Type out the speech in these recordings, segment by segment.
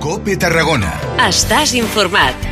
COPE Tarragona. Estàs informat.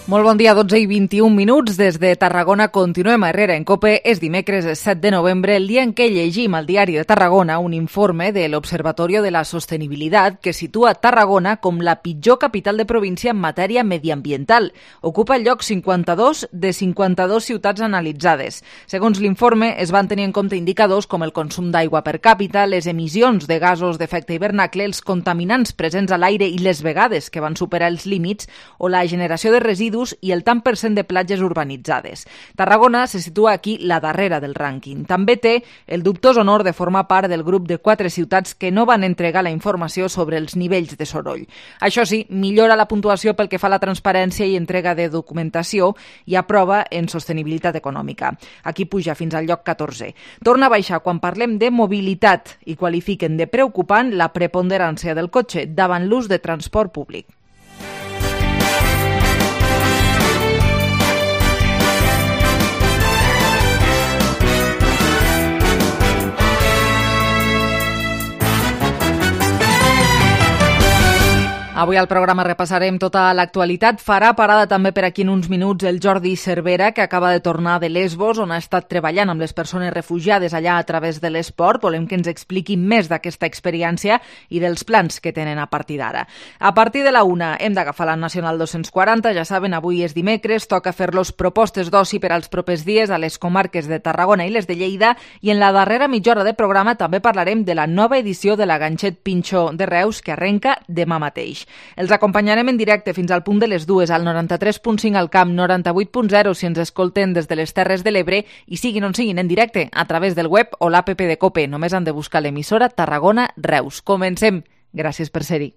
Molt bon dia, 12 i 21 minuts. Des de Tarragona continuem a Herrera en COPE. És dimecres 7 de novembre, el dia en què llegim al Diari de Tarragona un informe de l'Observatorio de la Sostenibilitat que situa Tarragona com la pitjor capital de província en matèria mediambiental. Ocupa el lloc 52 de 52 ciutats analitzades. Segons l'informe, es van tenir en compte indicadors com el consum d'aigua per càpita, les emissions de gasos d'efecte hivernacle, els contaminants presents a l'aire i les vegades que van superar els límits, o la generació de residus i el tant per cent de platges urbanitzades. Tarragona se situa aquí la darrera del rànquing. També té el dubtós honor de formar part del grup de 4 ciutats que no van entregar la informació sobre els nivells de soroll. Això sí, millora la puntuació pel que fa a la transparència i entrega de documentació i aprova en sostenibilitat econòmica. Aquí puja fins al lloc 14. Torna a baixar quan parlem de mobilitat i qualifiquen de preocupant la preponderància del cotxe davant l'ús de transport públic. Avui al programa repassarem tota l'actualitat. Farà parada també per aquí en uns minuts el Jordi Cervera, que acaba de tornar de Lesbos, on ha estat treballant amb les persones refugiades allà a través de l'esport. Volem que ens expliqui més d'aquesta experiència i dels plans que tenen a partir d'ara. A partir de la 1 hem d'agafar la Nacional 240. Ja saben, avui és dimecres, toca fer-los propostes d'oci per als propers dies a les comarques de Tarragona i les de Lleida, i en la darrera mitja hora de programa també parlarem de la nova edició de la Ganxet Pinxo de Reus, que arrenca demà mateix. Els acompanyarem en directe fins al punt de les 2 al 93.5 al Camp, 98.0 si ens escolten des de les Terres de l'Ebre i siguin on siguin en directe a través del web o l'APP de COPE. Només han de buscar l'emissora Tarragona Reus. Comencem. Gràcies per ser-hi.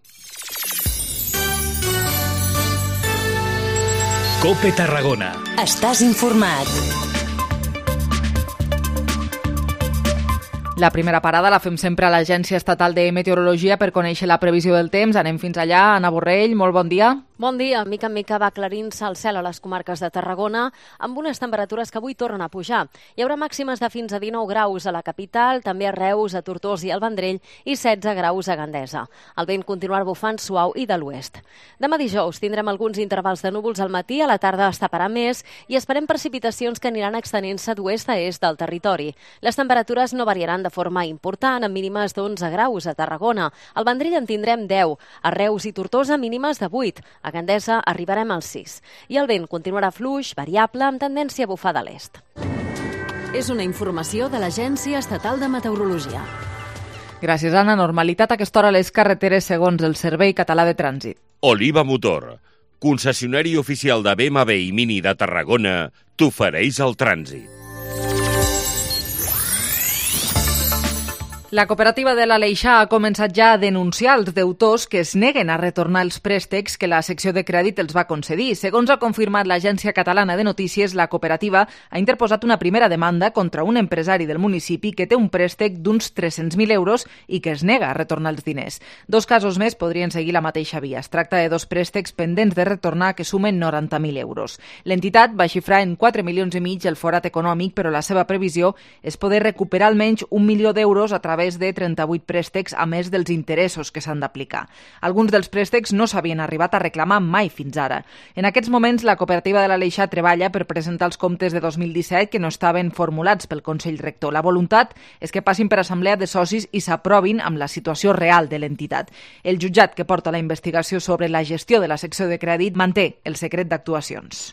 COPE Tarragona. Estàs informat. La primera parada la fem sempre a l'Agència Estatal de Meteorologia per conèixer la previsió del temps. Anem fins allà. Anna Borrell, molt bon dia. Bon dia. Mica en mica va aclarint-se el cel a les comarques de Tarragona amb unes temperatures que avui tornen a pujar. Hi haurà màximes de fins a 19 graus a la capital, també a Reus, a Tortosa i al Vendrell i 16 graus a Gandesa. El vent continuarà bufant suau i de l'oest. Demà dijous tindrem alguns intervals de núvols al matí, a la tarda es taparà més i esperem precipitacions que aniran extenent-se d'oest a est del territori. Les temperatures no variaran de forma important, amb mínimes d'11 graus a Tarragona. Al Vendrell en tindrem 10, a Reus i Tortosa mínimes de 8, a Gandesa arribarem als 6. I el vent continuarà fluix, variable, amb tendència a bufar de l'est. És una informació de l'Agència Estatal de Meteorologia. Gràcies, Anna. Normalitat a aquesta hora a les carreteres segons el Servei Català de Trànsit. Oliva Motor, concessionari oficial de BMW i Mini de Tarragona, t'ofereix el trànsit. La cooperativa de l'Aleixar ha començat ja a denunciar els deutors que es neguen a retornar els préstecs que la secció de crèdit els va concedir. Segons ha confirmat l'Agència Catalana de Notícies, la cooperativa ha interposat una primera demanda contra un empresari del municipi que té un préstec d'uns 300.000 euros i que es nega a retornar els diners. 2 casos més podrien seguir la mateixa via. Es tracta de 2 préstecs pendents de retornar que sumen 90.000 euros. L'entitat va xifrar en 4,5 milions el forat econòmic, però la seva previsió és poder recuperar almenys 1 milió d'euros a través de 38 préstecs, a més dels interessos que s'han d'aplicar. Alguns dels préstecs no s'havien arribat a reclamar mai fins ara. En aquests moments, la cooperativa de l'Aleixar treballa per presentar els comptes de 2017 que no estaven formulats pel Consell Rector. La voluntat és que passin per assemblea de socis i s'aprovin amb la situació real de l'entitat. El jutjat que porta la investigació sobre la gestió de la secció de crèdit manté el secret d'actuacions.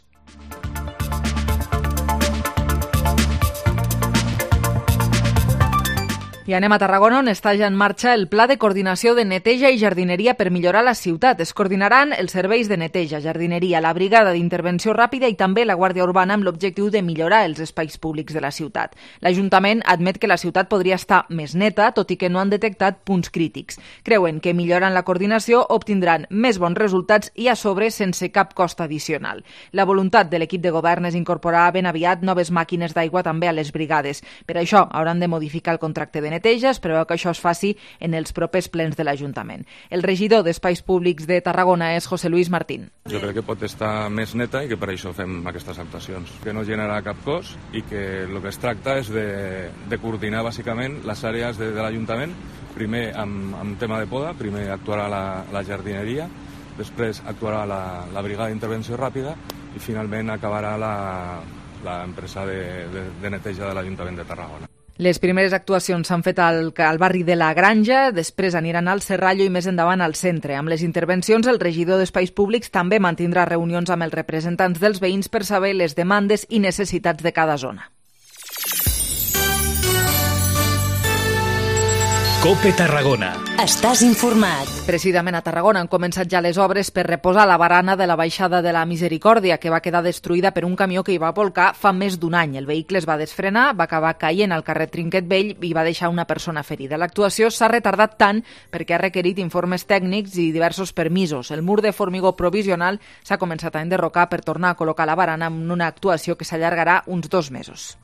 I anem a Tarragona, on està ja en marxa el Pla de Coordinació de Neteja i Jardineria per millorar la ciutat. Es coordinaran els serveis de neteja, jardineria, la Brigada d'Intervenció Ràpida i també la Guàrdia Urbana amb l'objectiu de millorar els espais públics de la ciutat. L'Ajuntament admet que la ciutat podria estar més neta, tot i que no han detectat punts crítics. Creuen que millorant la coordinació obtindran més bons resultats i a sobre sense cap cost addicional. La voluntat de l'equip de govern és incorporar ben aviat noves màquines d'aigua també a les brigades. Per això hauran de modificar el contracte de neteja. Es preveu que això es faci en els propers plens de l'Ajuntament. El regidor d'Espais Públics de Tarragona és José Luis Martín. Jo crec que pot estar més neta i que per això fem aquestes actuacions, que no genera cap cost i que el que es tracta és de coordinar bàsicament les àrees de l'Ajuntament, primer amb tema de poda, primer actuarà la jardineria, després actuarà la brigada d'intervenció ràpida i finalment acabarà l'empresa de neteja de l'Ajuntament de Tarragona. Les primeres actuacions s'han fet al barri de la Granja, després aniran al Serrallo i més endavant al centre. Amb les intervencions, el regidor d'Espais Públics també mantindrà reunions amb els representants dels veïns per saber les demandes i necessitats de cada zona. COPE Tarragona. Estàs informat. Precisament a Tarragona han començat ja les obres per reposar la barana de la baixada de la Misericòrdia, que va quedar destruïda per un camió que hi va volcar fa més d'un any. El vehicle es va desfrenar, va acabar caient al carrer Trinquet Vell i va deixar una persona ferida. L'actuació s'ha retardat tant perquè ha requerit informes tècnics i diversos permisos. El mur de formigó provisional s'ha començat a enderrocar per tornar a col·locar la barana en una actuació que s'allargarà uns 2 mesos.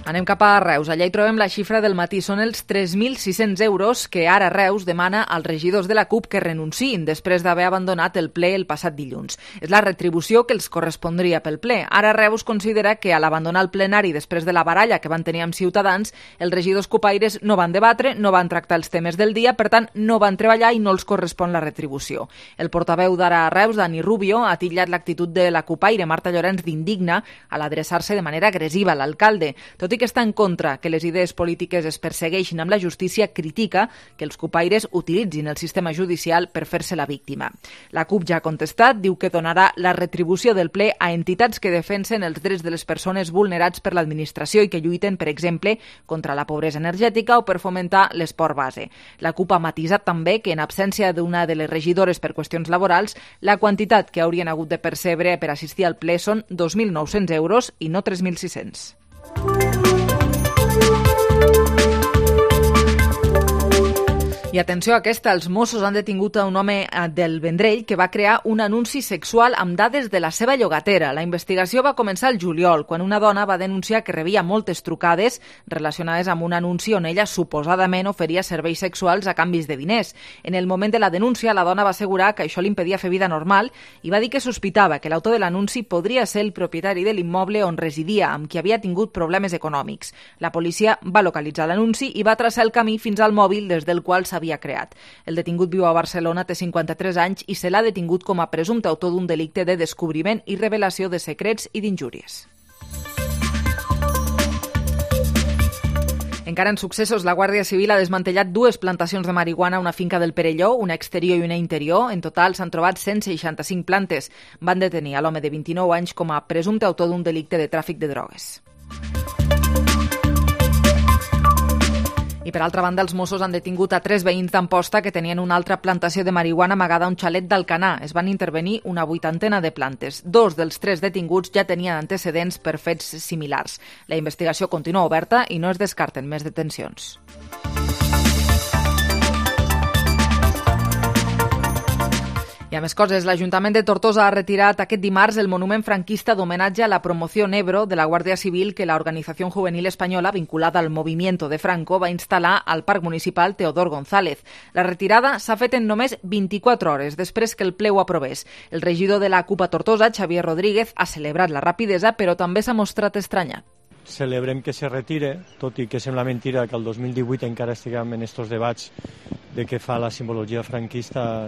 Anem cap a Reus. Allà hi trobem la xifra del matí. Són els 3.600 euros que ara Reus demana als regidors de la CUP que renunciïn després d'haver abandonat el ple el passat dilluns. És la retribució que els correspondria pel ple. Ara Reus considera que a l'abandonar el plenari després de la baralla que van tenir amb Ciutadans, els regidors cupaires no van debatre, no van tractar els temes del dia, per tant, no van treballar i no els correspon la retribució. El portaveu d'Ara Reus, Dani Rubio, ha titllat l'actitud de la cupaire Marta Llorenç d'indigna a l'adreçar-se de manera agressiva a l'alcalde. Tot i que està en contra que les idees polítiques es persegueixin amb la justícia, critica que els cupaires utilitzin el sistema judicial per fer-se la víctima. La CUP ja ha contestat, diu que donarà la retribució del ple a entitats que defensen els drets de les persones vulnerats per l'administració i que lluiten, per exemple, contra la pobresa energètica o per fomentar l'esport base. La CUP ha matisat també que, en absència d'una de les regidores per qüestions laborals, la quantitat que haurien hagut de percebre per assistir al ple són 2.900 euros i no 3.600. I atenció a aquesta, els Mossos han detingut a un home del Vendrell que va crear un anunci sexual amb dades de la seva llogatera. La investigació va començar el juliol, quan una dona va denunciar que rebia moltes trucades relacionades amb un anunci on ella suposadament oferia serveis sexuals a canvis de diners. En el moment de la denúncia, la dona va assegurar que això li impedia fer vida normal i va dir que sospitava que l'autor de l'anunci podria ser el propietari de l'immoble on residia, amb qui havia tingut problemes econòmics. La policia va localitzar l'anunci i va traçar el camí fins al mòbil des del qual s'havia creat. El detingut viu a Barcelona, té 53 anys i se l'ha detingut com a presumpte autor d'un delicte de descobriment i revelació de secrets i d'injúries. Encara en successos, la Guàrdia Civil ha desmantellat 2 plantacions de marihuana a una finca del Perelló, una exterior i una interior. En total s'han trobat 165 plantes. Van detenir a l'home de 29 anys com a presumpte autor d'un delicte de tràfic de drogues. I per altra banda, els Mossos han detingut a 3 veïns d'Amposta que tenien una altra plantació de marihuana amagada a un xalet d'Alcanar. Es van intervenir una 80ena de plantes. 2 dels 3 detinguts ja tenien antecedents per fets similars. La investigació continua oberta i no es descarten més detencions. I a més coses, l'Ajuntament de Tortosa ha retirat aquest dimarts el monument franquista d'homenatge a la Promoción Ebro de la Guàrdia Civil que la Organización Juvenil Española, vinculada al Movimiento de Franco, va instal·lar al Parc Municipal Teodor González. La retirada s'ha fet en només 24 hores, després que el ple ho aprovés. El regidor de la CUP a Tortosa, Xavier Rodríguez, ha celebrat la rapidesa, però també s'ha mostrat estranyat. Celebrem que se retire, tot i que sembla mentira que el 2018 encara estiguem en estos debats de què fa la simbologia franquista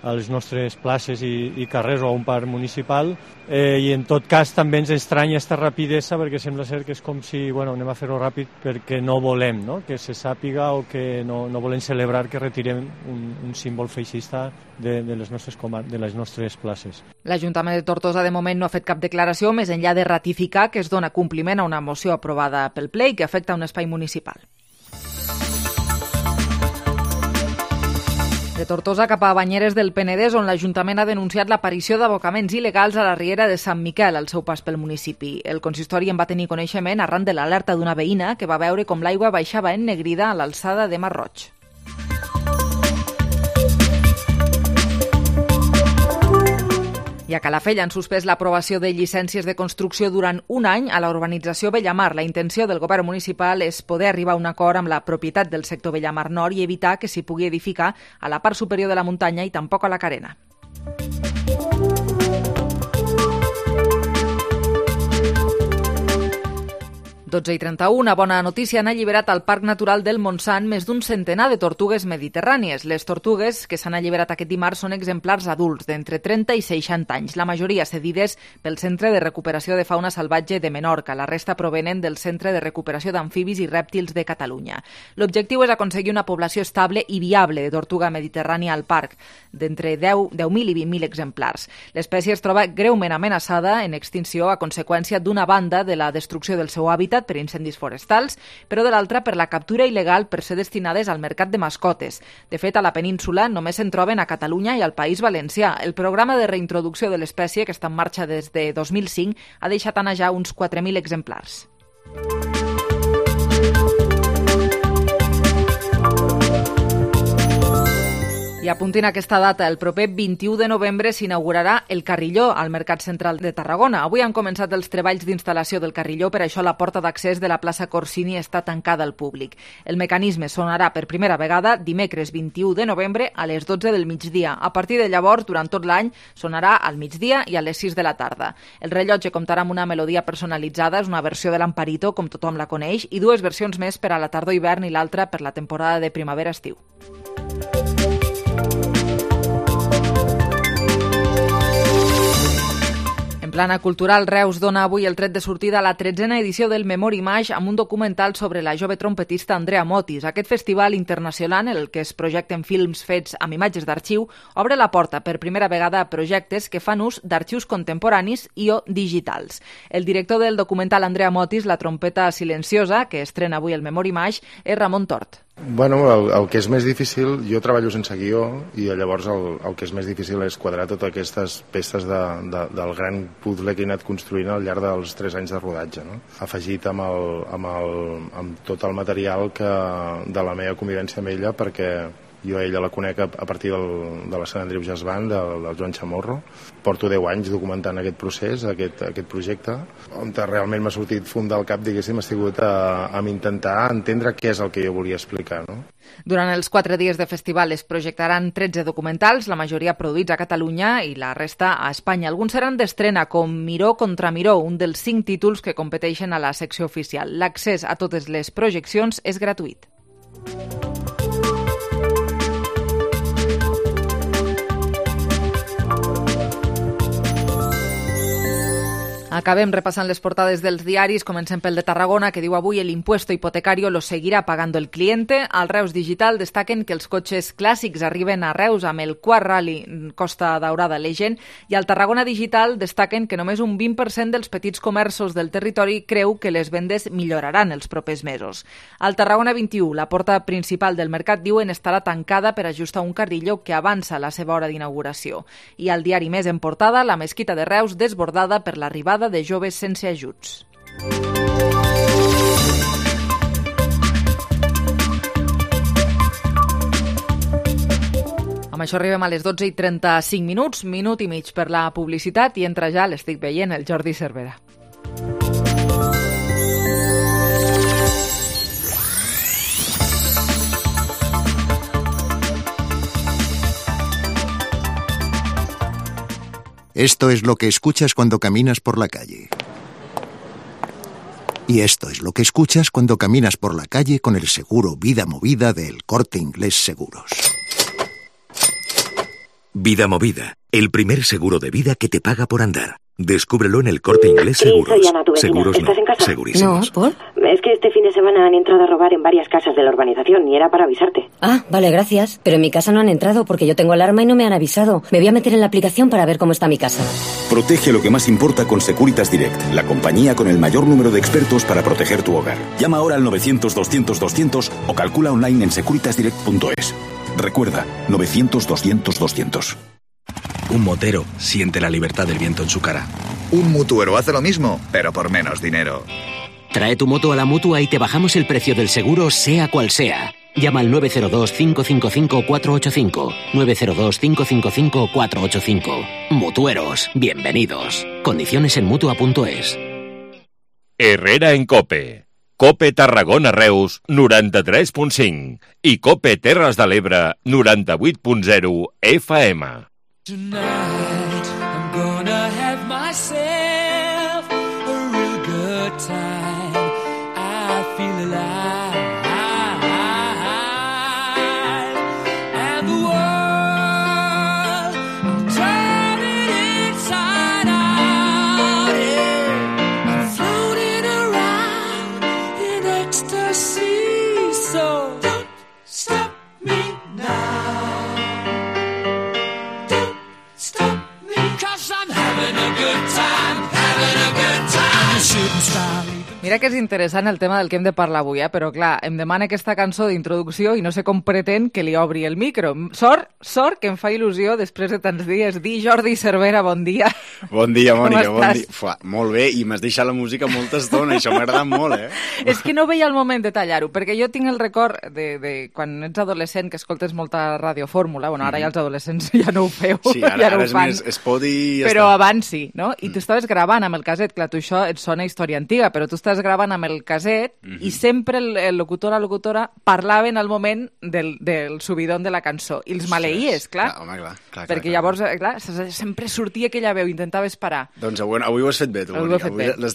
a les nostres places i carrers o a un parc municipal, i en tot cas també ens estranya aquesta rapidesa perquè sembla ser que és com si anem a fer-ho ràpid perquè no volem que se sàpiga o que no volem celebrar que retirem un símbol feixista de les nostres places. L'Ajuntament de Tortosa de moment no ha fet cap declaració més enllà de ratificar que es dona compliment a una moció aprovada pel ple i que afecta un espai municipal. De Tortosa cap a Banyeres del Penedès, on l'Ajuntament ha denunciat l'aparició d'abocaments il·legals a la riera de Sant Miquel, al seu pas pel municipi. El consistori en va tenir coneixement arran de l'alerta d'una veïna que va veure com l'aigua baixava ennegrida a l'alçada de Mar Roig. I a Calafell han suspès l'aprovació de llicències de construcció durant un any a la urbanització Bellamar. La intenció del govern municipal és poder arribar a un acord amb la propietat del sector Bellamar Nord i evitar que s'hi pugui edificar a la part superior de la muntanya i tampoc a la carena. i 31, una bona notícia, han alliberat al Parc Natural del Montsant més d'un centenar de tortugues mediterrànies. Les tortugues que s'han alliberat aquest dimarts són exemplars adults d'entre 30 i 60 anys, la majoria cedides pel Centre de Recuperació de Fauna Salvatge de Menorca. La resta provenen del Centre de Recuperació d'Amfibis i Rèptils de Catalunya. L'objectiu és aconseguir una població estable i viable de tortuga mediterrània al parc, d'entre 10.000 i 20.000 exemplars. L'espècie es troba greument amenaçada en extinció a conseqüència d'una banda de la destrucció del seu hàbitat per incendis forestals, però de l'altra per la captura il·legal per ser destinades al mercat de mascotes. De fet, a la península només se'n troben a Catalunya i al País Valencià. El programa de reintroducció de l'espècie, que està en marxa des de 2005, ha deixat anar ja uns 4.000 exemplars. I apuntin aquesta data, el proper 21 de novembre s'inaugurarà el Carrilló al Mercat Central de Tarragona. Avui han començat els treballs d'instal·lació del Carrilló, per això la porta d'accés de la plaça Corsini està tancada al públic. El mecanisme sonarà per primera vegada dimecres 21 de novembre a les 12 del migdia. A partir de llavors, durant tot l'any, sonarà al migdia i a les 6 de la tarda. El rellotge comptarà amb una melodia personalitzada, és una versió de l'Amparito, com tothom la coneix, i dues versions més per a la tardor-hivern i l'altra per la temporada de primavera-estiu. En plana cultural, Reus dona avui el tret de sortida a la 13a edició del Memory Mash amb un documental sobre la jove trompetista Andrea Motis. Aquest festival internacional, en el que es projecten films fets amb imatges d'arxiu, obre la porta per primera vegada a projectes que fan ús d'arxius contemporanis i o digitals. El director del documental Andrea Motis, la trompeta silenciosa, que estrena avui el Memory Mash, és Ramon Tort. Bueno, el que és més difícil, jo treballo sense guió i llavors el que és més difícil és quadrar totes aquestes peces del gran puzzle que he anat construint al llarg dels 3 anys de rodatge, no? Afegit amb tot el material de la meva convivència amb ella, perquè jo a ella la conec a partir de la Sant Andreu Jazz Band, del Joan Chamorro. Porto 10 anys documentant aquest procés, aquest projecte, on realment m'ha sortit fum del cap, diguéssim, ha sigut a intentar entendre què és el que jo volia explicar, no? Durant els 4 dies de festival es projectaran 13 documentals, la majoria produïts a Catalunya i la resta a Espanya. Alguns seran d'estrena, com Miró contra Miró, un dels 5 títols que competeixen a la secció oficial. L'accés a totes les projeccions és gratuït. Acabem repassant les portades dels diaris. Comencem pel de Tarragona, que diu avui el impuesto hipotecario lo seguirá pagando el cliente. Al Reus Digital destaquen que els cotxes clàssics arriben a Reus amb el quart rally Costa Daurada Legend, i al Tarragona Digital destaquen que només un 20% dels petits comerços del territori creu que les vendes milloraran els propers mesos. Al Tarragona 21, la porta principal del mercat, diuen, estarà tancada per ajustar un carrilló que avança la seva hora d'inauguració. I al diari Més en portada, la mesquita de Reus desbordada per l'arribada de joves sense ajuts. Amb això arribem a les 12:35, minut i mig per la publicitat, i entra ja, l'estic veient, el Jordi Cervera. Esto es lo que escuchas cuando caminas por la calle. Y esto es lo que escuchas cuando caminas por la calle con el seguro Vida Movida de El Corte Inglés Seguros. Vida Movida, el primer seguro de vida que te paga por andar. Descúbrelo en El Corte Inglés Seguros. Soy Ana, tu vecina. Seguros ¿Estás en casa? segurísimos. No, ¿por? Es que este fin de semana han entrado a robar en varias casas de la urbanización y era para avisarte. Ah, vale, gracias. Pero en mi casa no han entrado porque yo tengo alarma y no me han avisado. Me voy a meter en la aplicación para ver cómo está mi casa. Protege lo que más importa con Securitas Direct, la compañía con el mayor número de expertos para proteger tu hogar. Llama ahora al 900-200-200 o calcula online en securitasdirect.es. Recuerda, 900-200-200. Un motero siente la libertad del viento en su cara. Un mutuero hace lo mismo, pero por menos dinero. Trae tu moto a la Mutua y te bajamos el precio del seguro, sea cual sea. Llama al 902-555-485. 902-555-485. Mutueros, bienvenidos. Condiciones en Mutua.es. Herrera en COPE. COPE Tarragona Reus 93.5 i COPE Terres de l'Ebre 98.0 FM. Tonight I'm gonna have myself a real good time. I feel alive. And the world, I'm turning inside out. Yeah. I'm floating around in ecstasy. So don't stop me now. Mira que és interessant el tema del que hem de parlar avui, però clar, em demana aquesta cançó d'introducció i no sé com pretén que li obri el micro. Sort que em fa il·lusió després de tants dies dir Jordi Cervera, bon dia. Bon dia, Mònica, bon dia. Fuà, molt bé, i m'has deixat la música molta estona, això m'ha agradat molt, És que no veia el moment de tallar-ho, perquè jo tinc el record de quan ets adolescent que escoltes molta radiofórmula, bueno, ara ja els adolescents ja no ho feu, sí, ja no ho fan. És més Spotify i ja però està. Abans sí, no? I tu estaves gravant amb el caset, clar, tu això et sona història antiga, però tu estàs gravant amb el caset i sempre el locutor o la locutora parlaven al moment del subidon de la cançó. I els maleïes, clar. Home, clar. Perquè llavors, clar, sempre sortia aquella veu, intentaves parar. Doncs avui ho has fet bé, tu, Mònica. Avui l'has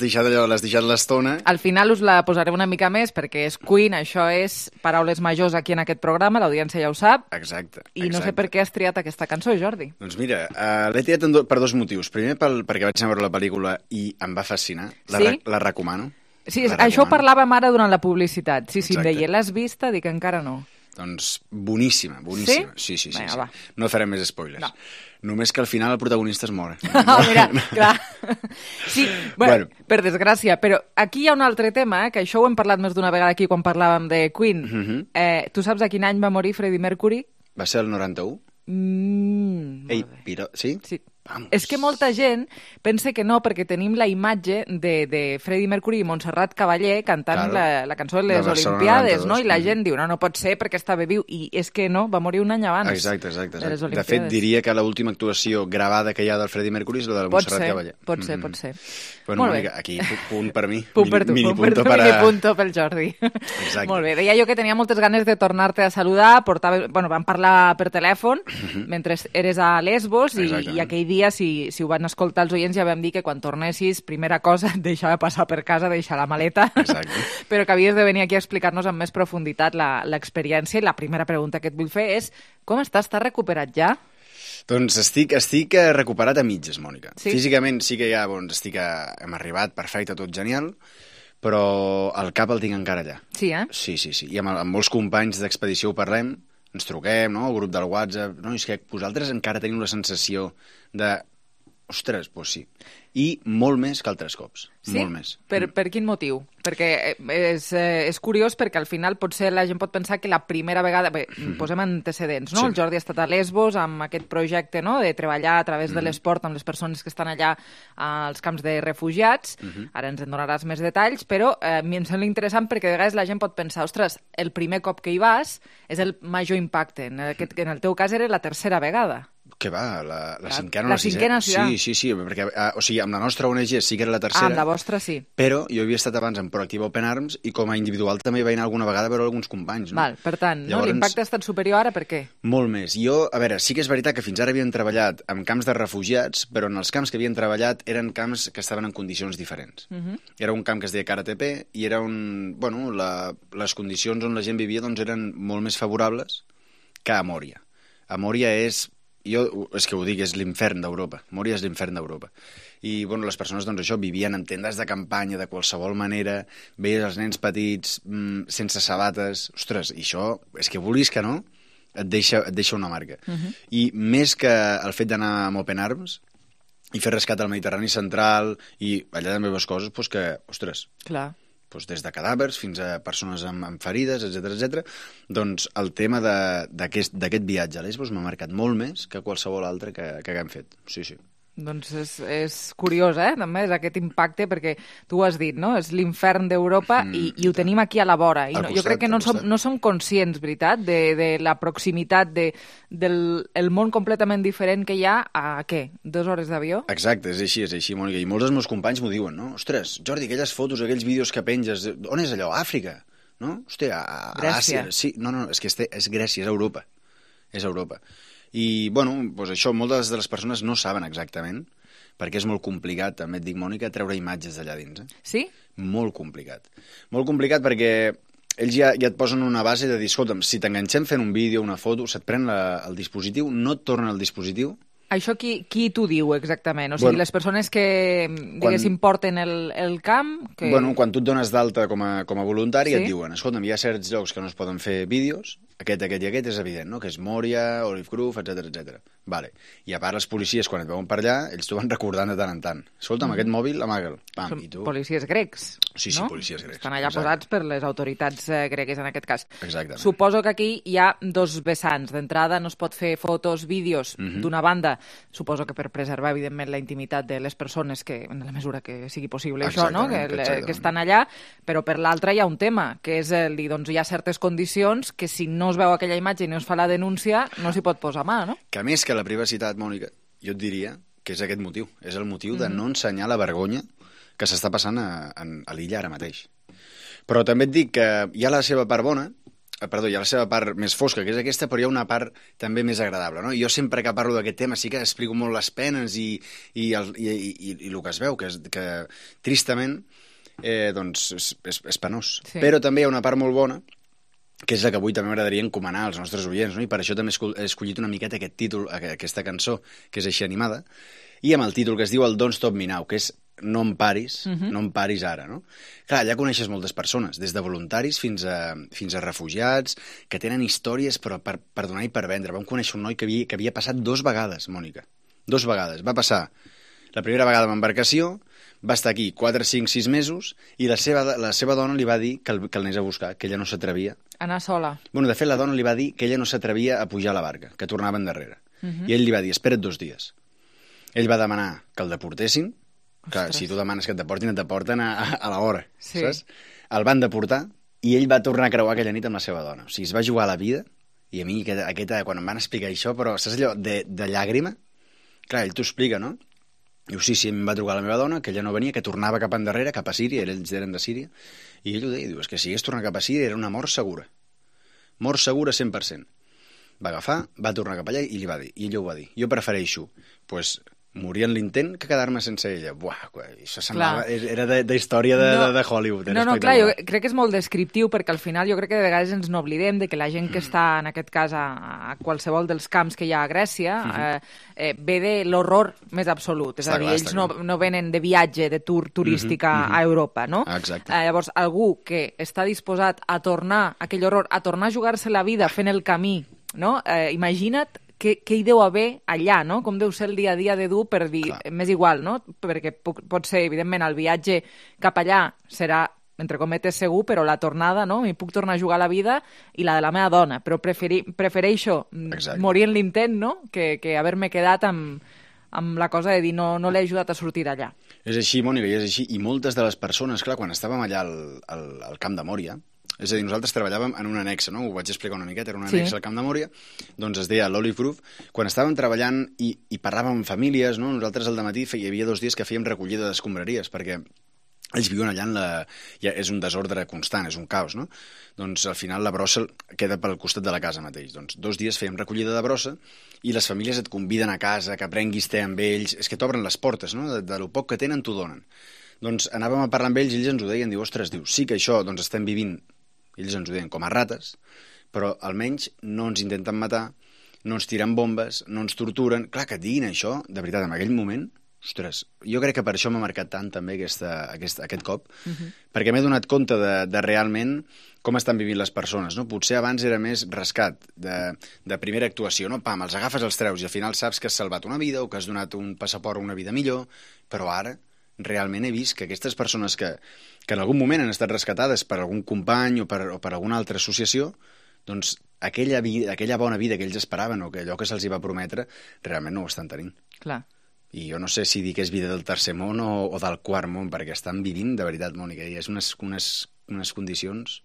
deixat l'estona. Al final us la posaré una mica més, perquè és Queen, això és paraules majors aquí en aquest programa, l'audiència ja ho sap. Exacte. I no sé per què has triat aquesta cançó, Jordi. Doncs mira, l'he triat per dos motius. Primer, perquè vaig anar a veure la pel·lícula i em va fascinar. La recomano. Sí, això ho parlàvem ara durant la publicitat. Sí, em deia, l'has vista? Dic, encara no. Doncs boníssima. Sí. Vinga, no farem més spoilers. No. Només que al final el protagonista es mor. Mira, clar. Sí, bueno, per desgràcia, però aquí hi ha un altre tema, que això ho hem parlat més d'una vegada aquí quan parlàvem de Queen. Tu saps a quin any va morir Freddie Mercury? Va ser el 91? Sí? Sí. Vamos. És que molta gent pensa que no, perquè tenim la imatge de Freddie Mercury i Montserrat Caballé cantant la cançó de les Olimpiades, no? I la gent diu, no pot ser perquè estava viu, i és que no, va morir un any abans. Exacte. De fet, diria que l'última actuació gravada que hi ha del Freddie Mercury és la de Montserrat Caballé. Pot ser. Bueno, Mònica, aquí, punt per mi. Punt per tu, mini punto pel Jordi. Exacte. Molt bé, deia jo que tenia moltes ganes de tornar-te a saludar, vam parlar per telèfon mentre eres a Lesbos i aquell dia, si ho van escoltar els oients, ja vam dir que quan tornessis, primera cosa, et deixava passar per casa, deixar la maleta, però que havies de venir aquí a explicar-nos amb més profunditat l'experiència. I la primera pregunta que et vull fer és, com estàs? Estàs recuperat ja? Doncs estic recuperat a mitges, Mònica. Sí? Físicament sí que ja hem arribat, perfecte, tot genial, però el cap el tinc encara allà. Sí, Sí. I amb molts companys d'expedició ho parlem, ens truquem, no?, el grup del WhatsApp, no, és que vosaltres encara teniu la sensació de... Ostres, doncs sí. I molt més que altres cops. Sí? Molt més. Per quin motiu? Perquè és curiós, perquè al final potser la gent pot pensar que la primera vegada... Posem antecedents, no? Sí. El Jordi ha estat a Lesbos amb aquest projecte, no?, de treballar a través de l'esport amb les persones que estan allà als camps de refugiats. Ara ens en donaràs més detalls, però a mi em sembla interessant perquè de vegades la gent pot pensar, ostres, el primer cop que hi vas és el major impacte. En el teu cas era la tercera vegada. Que va, la cinquena o la sisena? Sí, perquè, o sigui, amb la nostra ONG sí que era la tercera. Amb la vostra sí. Però jo havia estat abans en Proactiva Open Arms i com a individual també vaig anar alguna vegada a veure alguns companys. No? Val, per tant, llavors, l'impacte ha estat superior ara, per què? Molt més. Jo, a veure, sí que és veritat que fins ara havíem treballat en camps de refugiats, però en els camps que havien treballat eren camps que estaven en condicions diferents. Era un camp que es deia KRTP i era les condicions on la gent vivia doncs eren molt més favorables que a Mòria. A Mòria és que ho dic, és l'infern d'Europa. Mòria és l'infern d'Europa. I, les persones, doncs això, vivien en tendes de campanya de qualsevol manera, veies els nens petits sense sabates. Ostres, i això, és que vulguis que no, et deixa una marca. I més que el fet d'anar amb Open Arms i fer rescat al Mediterrani central i allà també veus coses, doncs que, ostres... Clar. Des de cadàvers fins a persones amb ferides, etc. Doncs el tema d'aquest viatge a Lesbos m'ha marcat molt més que qualsevol altre que hem fet. Sí. Doncs és curiós, també, és aquest impacte, perquè tu ho has dit, no? És l'infern d'Europa i ho tenim aquí a la vora. I jo crec que no som conscients, veritat, de la proximitat del món completament diferent que hi ha a, 2 hores d'avió? Exacte, és així, Mònica. I molts dels meus companys m'ho diuen, no? Ostres, Jordi, aquelles fotos, aquells vídeos que penges, on és allò? Àfrica? No? Hòstia, a l'Àsia. Sí, no, és que és Grècia, és Europa. És Europa. I, bueno, doncs això, moltes de les persones no saben exactament, perquè és molt complicat, també et dic, Mònica, treure imatges d'allà dins. Sí? Molt complicat. Molt complicat perquè ells ja et posen una base de dir, escolta'm, si t'enganxem fent un vídeo, una foto, se't pren el dispositiu, no et tornen el dispositiu. Això qui t'ho diu exactament? O sigui, les persones que, diguéssim, porten el camp... Bueno, quan tu et dones d'alta com a voluntari, et diuen, escolta'm, hi ha certs llocs que no es poden fer vídeos, aquest i aquest és evident, no? Que és Moria, Olive Grove, etc. Vale. I a part, els policies, quan et veuen per allà, ells t'ho van recordant de tant en tant. Escolta'm, aquest mòbil, amaga'l. Són policies grecs, Sí, policies grecs. Estan allà posats per les autoritats gregues, en aquest cas. Exactament. Suposo que aquí hi ha 2 vessants. D'entrada, no es pot fer fotos, vídeos d'una banda, suposo que per preservar, evidentment, la intimitat de les persones, que en la mesura que sigui possible això, no? Que estan allà, però per l'altra hi ha un tema, que és doncs hi ha certes condicions que si no es veu aquella imatge i no es fa la denúncia, no s'hi pot posar mà, no? Que a més que la privacitat, Mònica, jo et diria que és aquest motiu. És el motiu de no ensenyar la vergonya que s'està passant a l'illa ara mateix. Però també et dic que hi ha la seva part bona, hi ha la seva part més fosca, que és aquesta, però hi ha una part també més agradable, no? Jo sempre que parlo d'aquest tema sí que explico molt les penes i el que es veu, que tristament doncs és penós. Sí. Però també hi ha una part molt bona, que és la que avui també m'agradaria encomanar als nostres oients, no? I per això també he escollit una miqueta aquest títol, aquesta cançó, que és així animada, i amb el títol que es diu el Don't Stop Me Now, que és no em paris, no em paris ara, no? Clar, allà coneixes moltes persones, des de voluntaris fins a refugiats, que tenen històries però per donar i per vendre. Vam conèixer un noi que havia passat 2 vegades, Mònica. 2 vegades. Va passar la primera vegada amb embarcació, va estar aquí 4, 5, 6 mesos i la seva dona li va dir que el anés a buscar, que ella no s'atrevia. Anar sola. Bueno, de fet, la dona li va dir que ella no s'atrevia a pujar a la barca, que tornava endarrere. I ell li va dir, espera't 2 dies. Ell va demanar que el deportessin, que si tu demanes que et deporten a l'hora, saps? El van deportar i ell va tornar a creuar aquella nit amb la seva dona. O sigui, es va jugar a la vida i a mi, quan em van explicar això, però saps allò de llàgrima? Clar, ell t'ho explica, no? Diu, sí, em va trucar la meva dona, que ella no venia, que tornava cap endarrere, cap a Síria, ells eren de Síria, i ell ho deia, diu, és que si hagués tornat cap a Síria era una mort segura. Mort segura 100%. Va agafar, va tornar cap allà i li va dir, i ella ho va dir, jo prefereixo, morir en l'intent que quedar-me sense ella. Buah, això semblava... Era d'història de Hollywood. No, clar, jo crec que és molt descriptiu, perquè al final jo crec que de vegades ens n'oblidem de que la gent que està, en aquest cas, a qualsevol dels camps que hi ha a Grècia, ve de l'horror més absolut. És a dir, ells no venen de viatge, de tour turística a Europa, no? Exacte. Llavors, algú que està disposat a tornar aquell horror, a tornar a jugar-se la vida fent el camí, no? Imagina't què hi deu haver allà, no? Com deu ser el dia a dia de dur per dir, m'és igual, no? Perquè pot ser, evidentment, el viatge cap allà serà, entre cometes, segur, però la tornada, no? M'hi puc tornar a jugar la vida i la de la meva dona, però prefereixo morir en l'intent, no? Que haver-me quedat amb la cosa de dir no l'he ajudat a sortir d'allà. És així, Mònica, i és així. I moltes de les persones, clar, quan estàvem allà al camp de Mòria, és a dir, nosaltres treballàvem en un annex, no? Ho vaig explicar una miqueta, era un annex al Camp de Mòria, doncs es deia l'Olive Grove. Quan estàvem treballant i parlàvem amb famílies, no? Nosaltres al dematí hi havia 2 dies que fèiem recollida d'escombraries, perquè ells viuen allà és un desordre constant, és un caos, no? Doncs al final la brossa queda pel costat de la casa mateix. Doncs 2 dies fèiem recollida de brossa i les famílies et conviden a casa, que prenguis te amb ells, és que t'obren les portes, no? De lo poc que tenen t'ho donen. Doncs anàvem a parlar amb ells i ells ens ho deien, diu, ostres, sí que això doncs estem vivint, ells ens ho deien com a rates, però almenys no ens intenten matar, no ens tiren bombes, no ens torturen. Clar, que et diguin això, de veritat, en aquell moment, ostres, jo crec que per això m'ha marcat tant també aquest cop, perquè m'he donat compte de realment com estan vivint les persones, no? Potser abans era més rescat, de primera actuació, no? Pam, els agafes, els treus i al final saps que has salvat una vida o que has donat un passaport a una vida millor, però ara realment he vist que aquestes persones que en algun moment han estat rescatades per algun company o per alguna altra associació, doncs aquella bona vida que ells esperaven o que allò que se'ls va prometre realment no ho estan tenint. Clar. I jo no sé si dir que és vida del tercer món o del quart món, perquè estan vivint de veritat, Mònica, i és unes condicions...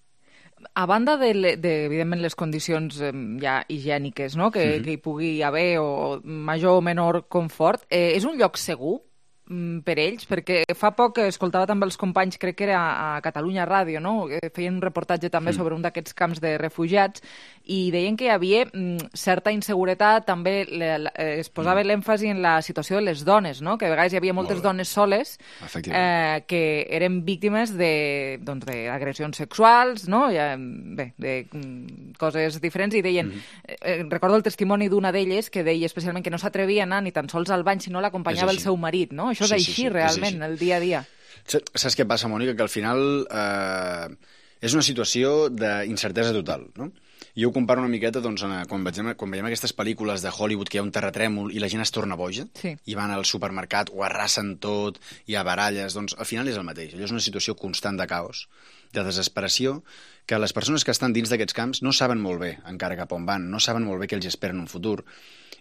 A banda evidentment, les condicions ja higièniques, no? que hi pugui haver, o major o menor confort, és un lloc segur per ells? Perquè fa poc escoltava també els companys, crec que era a Catalunya Ràdio, no? Feien un reportatge també sobre un d'aquests camps de refugiats i deien que hi havia certa inseguretat, també es posava l'èmfasi en la situació de les dones, no? Que a vegades hi havia moltes dones soles que eren víctimes d'agressions sexuals, no? Bé, de coses diferents, i deien, recordo el testimoni d'una d'elles que deia especialment que no s'atrevia a anar ni tan sols al bany si no l'acompanyava el seu marit, no? Això és així, realment, el dia a dia. Saps què passa, Mònica? Que al final és una situació d'incertesa total, no? Jo ho comparo una miqueta quan veiem aquestes pel·lícules de Hollywood que hi ha un terratrèmol i la gent es torna boja i van al supermercat, ho arrasen tot, hi ha baralles, doncs al final és el mateix. Allò és una situació constant de caos, de desesperació, que les persones que estan dins d'aquests camps no saben molt bé encara cap on van, no saben molt bé què els espera en un futur.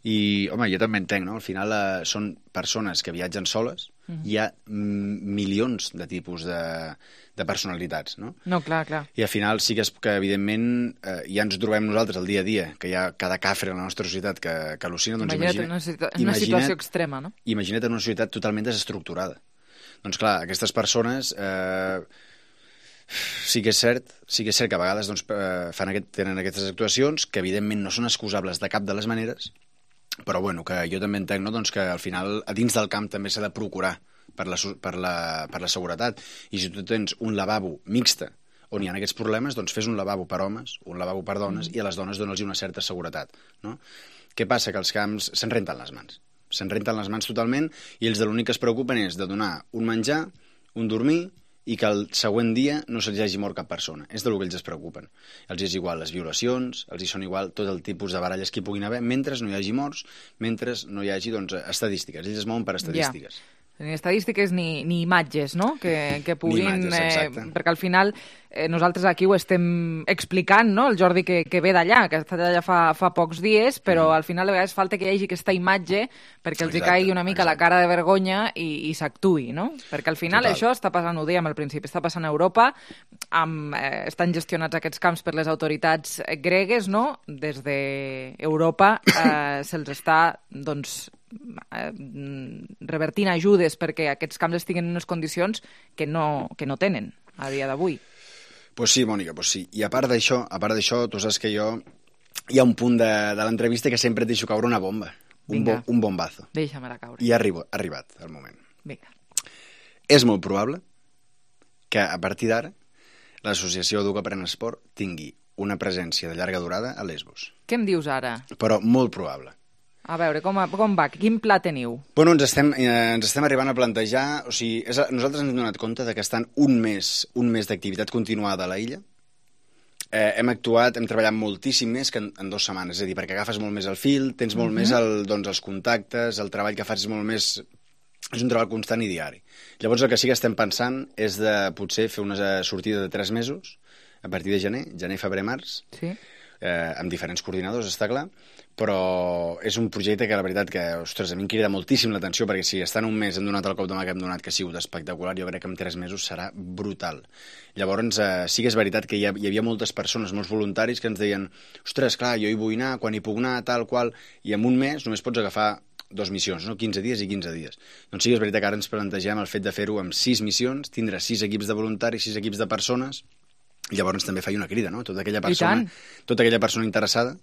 I, home, jo també entenc, no? Al final són persones que viatgen soles, hi ha milions de tipus de personalitats, no? No, clar. I al final sí que evidentment, ja ens trobem nosaltres el dia a dia, que hi ha cada cafre a la nostra societat que al·lucina. Doncs imagina't una situació extrema, no? Imagina't en una societat totalment desestructurada. Doncs clar, aquestes persones... Sí que és cert que a vegades tenen aquestes actuacions que evidentment no són excusables de cap de les maneres, però bueno, que jo també entenc, no? Doncs que al final a dins del camp també s'ha de procurar per la seguretat, i si tu tens un lavabo mixte on hi ha aquests problemes, doncs fes un lavabo per homes, un lavabo per dones, i a les dones dona'ls una certa seguretat, no? Què passa? Que els camps se'n renten les mans totalment, i ells de l'únic que es preocupen és de donar un menjar, un dormir, i que el següent dia no se'ls hagi mort cap persona. És del que ells es preocupen. Els és igual les violacions, els hi són igual tot el tipus de baralles que hi puguin haver, mentre no hi hagi morts, mentre no hi hagi estadístiques. Ells es mouen per estadístiques. Ni estadístiques ni imatges, no? Que puguin... Perquè al final nosaltres aquí ho estem explicant, no? El Jordi que ve d'allà, que ha estat allà fa pocs dies, però al final a vegades falta que hi hagi aquesta imatge perquè els hi caigui una mica la cara de vergonya i s'actuï, no? Perquè al final això està passant, ho dèiem al principi, està passant a Europa, estan gestionats aquests camps per les autoritats gregues, no? Des d'Europa se'ls està, doncs, revertint ajudes perquè aquests camps estiguin en unes condicions que no tenen a dia d'avui. Pues sí, Mònica, pues sí. I a part d'això, tu saps que jo hi ha un punt de l'entrevista que sempre et deixo caure una bomba, un bombazo. Deixa-me-la caure. I ha arribat el moment. Vinga. És molt probable que a partir d'ara l'associació Educa Pren Esport tingui una presència de llarga durada a Lesbos. Què em dius ara? Però molt probable. A veure, com va? Quin pla teniu? Bueno, ens estem arribant a plantejar... O sigui, nosaltres ens hem donat compte de que estan un mes d'activitat continuada a la illa. Hem treballat moltíssim més que en 2 setmanes. És a dir, perquè agafes molt més el fil, tens molt més els contactes, el treball que fas és molt més... És un treball constant i diari. Llavors el que sí que estem pensant és de potser fer una sortida de 3 mesos, a partir de gener, febrer, març, amb diferents coordinadors, està clar, però és un projecte que la veritat que, ostres, a mi em crida moltíssim l'atenció, perquè si estan un mes hem donat el cop de mà que hem donat, que ha sigut espectacular, jo crec que en 3 mesos serà brutal. Llavors sí que és veritat que hi havia moltes persones, molts voluntaris que ens deien, ostres, clar, jo hi vull anar, quan hi puc anar, tal qual, i en un mes només pots agafar 2 missions, no? 15 dies i 15 dies. Doncs sí que és veritat que ara ens plantegem el fet de fer-ho amb 6 missions, tindre 6 equips de voluntaris, 6 equips de persones. Llavors també faig una crida, no? Tota aquella persona interessada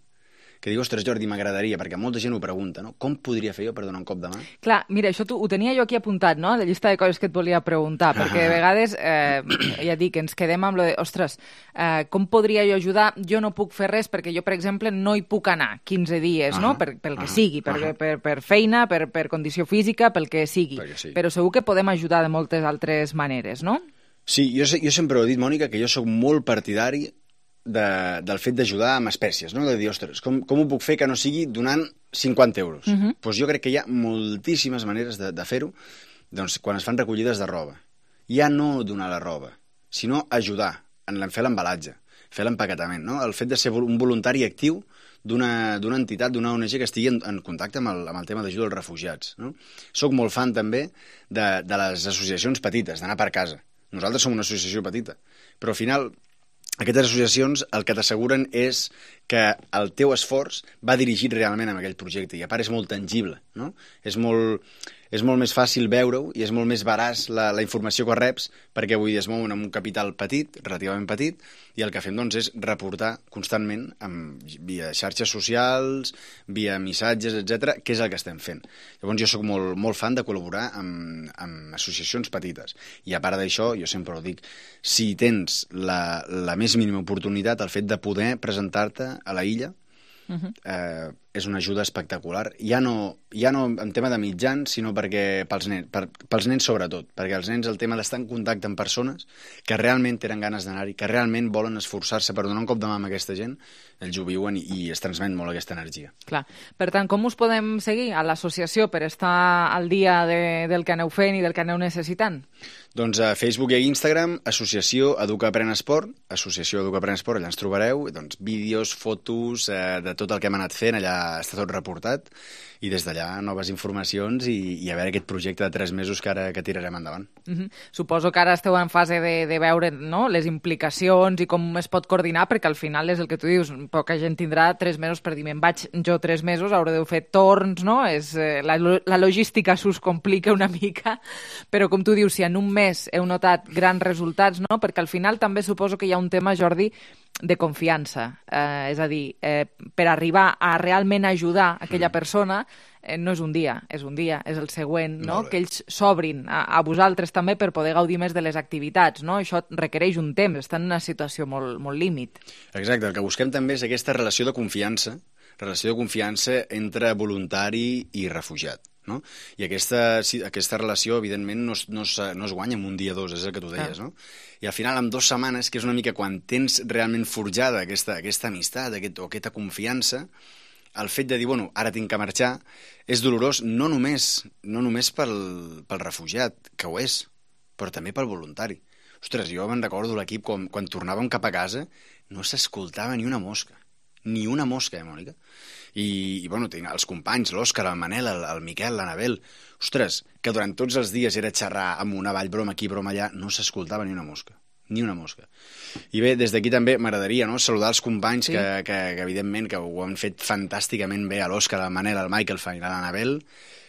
que diu, ostres, Jordi, m'agradaria, perquè molta gent ho pregunta, no? Com podria fer jo per donar un cop de mà? Clar, mira, això ho tenia jo aquí apuntat, no?, de llista de coses que et volia preguntar, perquè de vegades, ja dic, ens quedem amb lo de, ostres, com podria jo ajudar? Jo no puc fer res perquè jo, per exemple, no hi puc anar 15 dies, no?, pel que sigui, per feina, per condició física, pel que sigui. Però segur que podem ajudar de moltes altres maneres, no? Sí, jo sempre he dit, Mònica, que jo sóc molt partidari del fet d'ajudar amb espècies, no? De dir, ostres, com ho puc fer que no sigui donant 50 euros? Doncs jo crec que hi ha moltíssimes maneres de fer-ho, doncs, quan es fan recollides de roba. Ja no donar la roba, sinó ajudar en fer l'embalatge. fer l'empaquetament, no? El fet de ser un voluntari actiu d'una entitat, d'una ONG que estigui en contacte amb el tema d'ajuda als refugiats, no? Soc molt fan també de les associacions petites, d'anar per casa. Nosaltres som una associació petita, però al final aquestes associacions el que t'asseguren és que el teu esforç va dirigit realment a aquell projecte i a part és molt tangible, no? És molt més fàcil veure-ho i és molt més veraç la informació que reps perquè avui es mouen amb un capital petit, relativament petit, i el que fem doncs, és reportar constantment via xarxes socials, via missatges, etc, què és el que estem fent. Llavors jo sóc molt fan de col·laborar amb associacions petites. I a part d'això, jo sempre ho dic, si tens la més mínima oportunitat, el fet de poder presentar-te a la illa, és una ajuda espectacular. Ja no en tema de mitjans, sinó perquè pels nens sobretot, perquè els nens el tema d'estar en contacte amb persones que realment tenen ganes d'anar-hi, que realment volen esforçar-se per donar un cop de mà a aquesta gent, ells ho viuen i es transmet molt aquesta energia. Clar. Per tant, com us podem seguir a l'associació per estar al dia del que aneu fent i del que aneu necessitant? Doncs a Facebook i a Instagram, Associació Educa Aprèn Esport, Associació Educa Aprèn Esport, allà ens trobareu, doncs, vídeos, fotos, de tot el que hem anat fent, allà està tot reportat, i des d'allà noves informacions i a veure aquest projecte de 3 mesos que tirarem endavant. Suposo que ara esteu en fase de veure, no?, les implicacions i com es pot coordinar, perquè al final és el que tu dius, poca gent tindrà 3 mesos per dir, me'n vaig jo 3 mesos, hauré de fer torns, no? La logística s'us complica una mica, però com tu dius, si en un mes heu notat grans resultats, no? Perquè al final també suposo que hi ha un tema, Jordi, de confiança. És a dir, per arribar a realment ajudar aquella persona, no és un dia, és el següent, no? Que ells s'obrin a vosaltres també per poder gaudir més de les activitats, no? Això requereix un temps, està en una situació molt límit. Exacte, el que busquem també és aquesta relació de confiança entre voluntari i refugiat, no? I aquesta relació, evidentment, no es guanya en un dia o 2, és el que tu deies, no? I al final, en 2 setmanes, que és una mica quan tens realment forjada aquesta amistat o aquesta confiança, el fet de dir, bueno, ara tinc que marxar, és dolorós no només pel refugiat, que ho és, però també pel voluntari. Ostres, jo me'n recordo l'equip quan tornàvem cap a casa, no s'escoltava ni una mosca, Mònica? I bueno, tinc els companys, l'Òscar, el Manel, el Miquel, l'Anabel, ostres, que durant tots els dies era xerrar amb una broma aquí, broma allà, no s'escoltava ni una mosca. I bé, des d'aquí també m'agradaria, no?, saludar els companys que evidentment que ho han fet fantàsticament bé, a l'Òscar, al Manel, al Michael, a l'Anabel,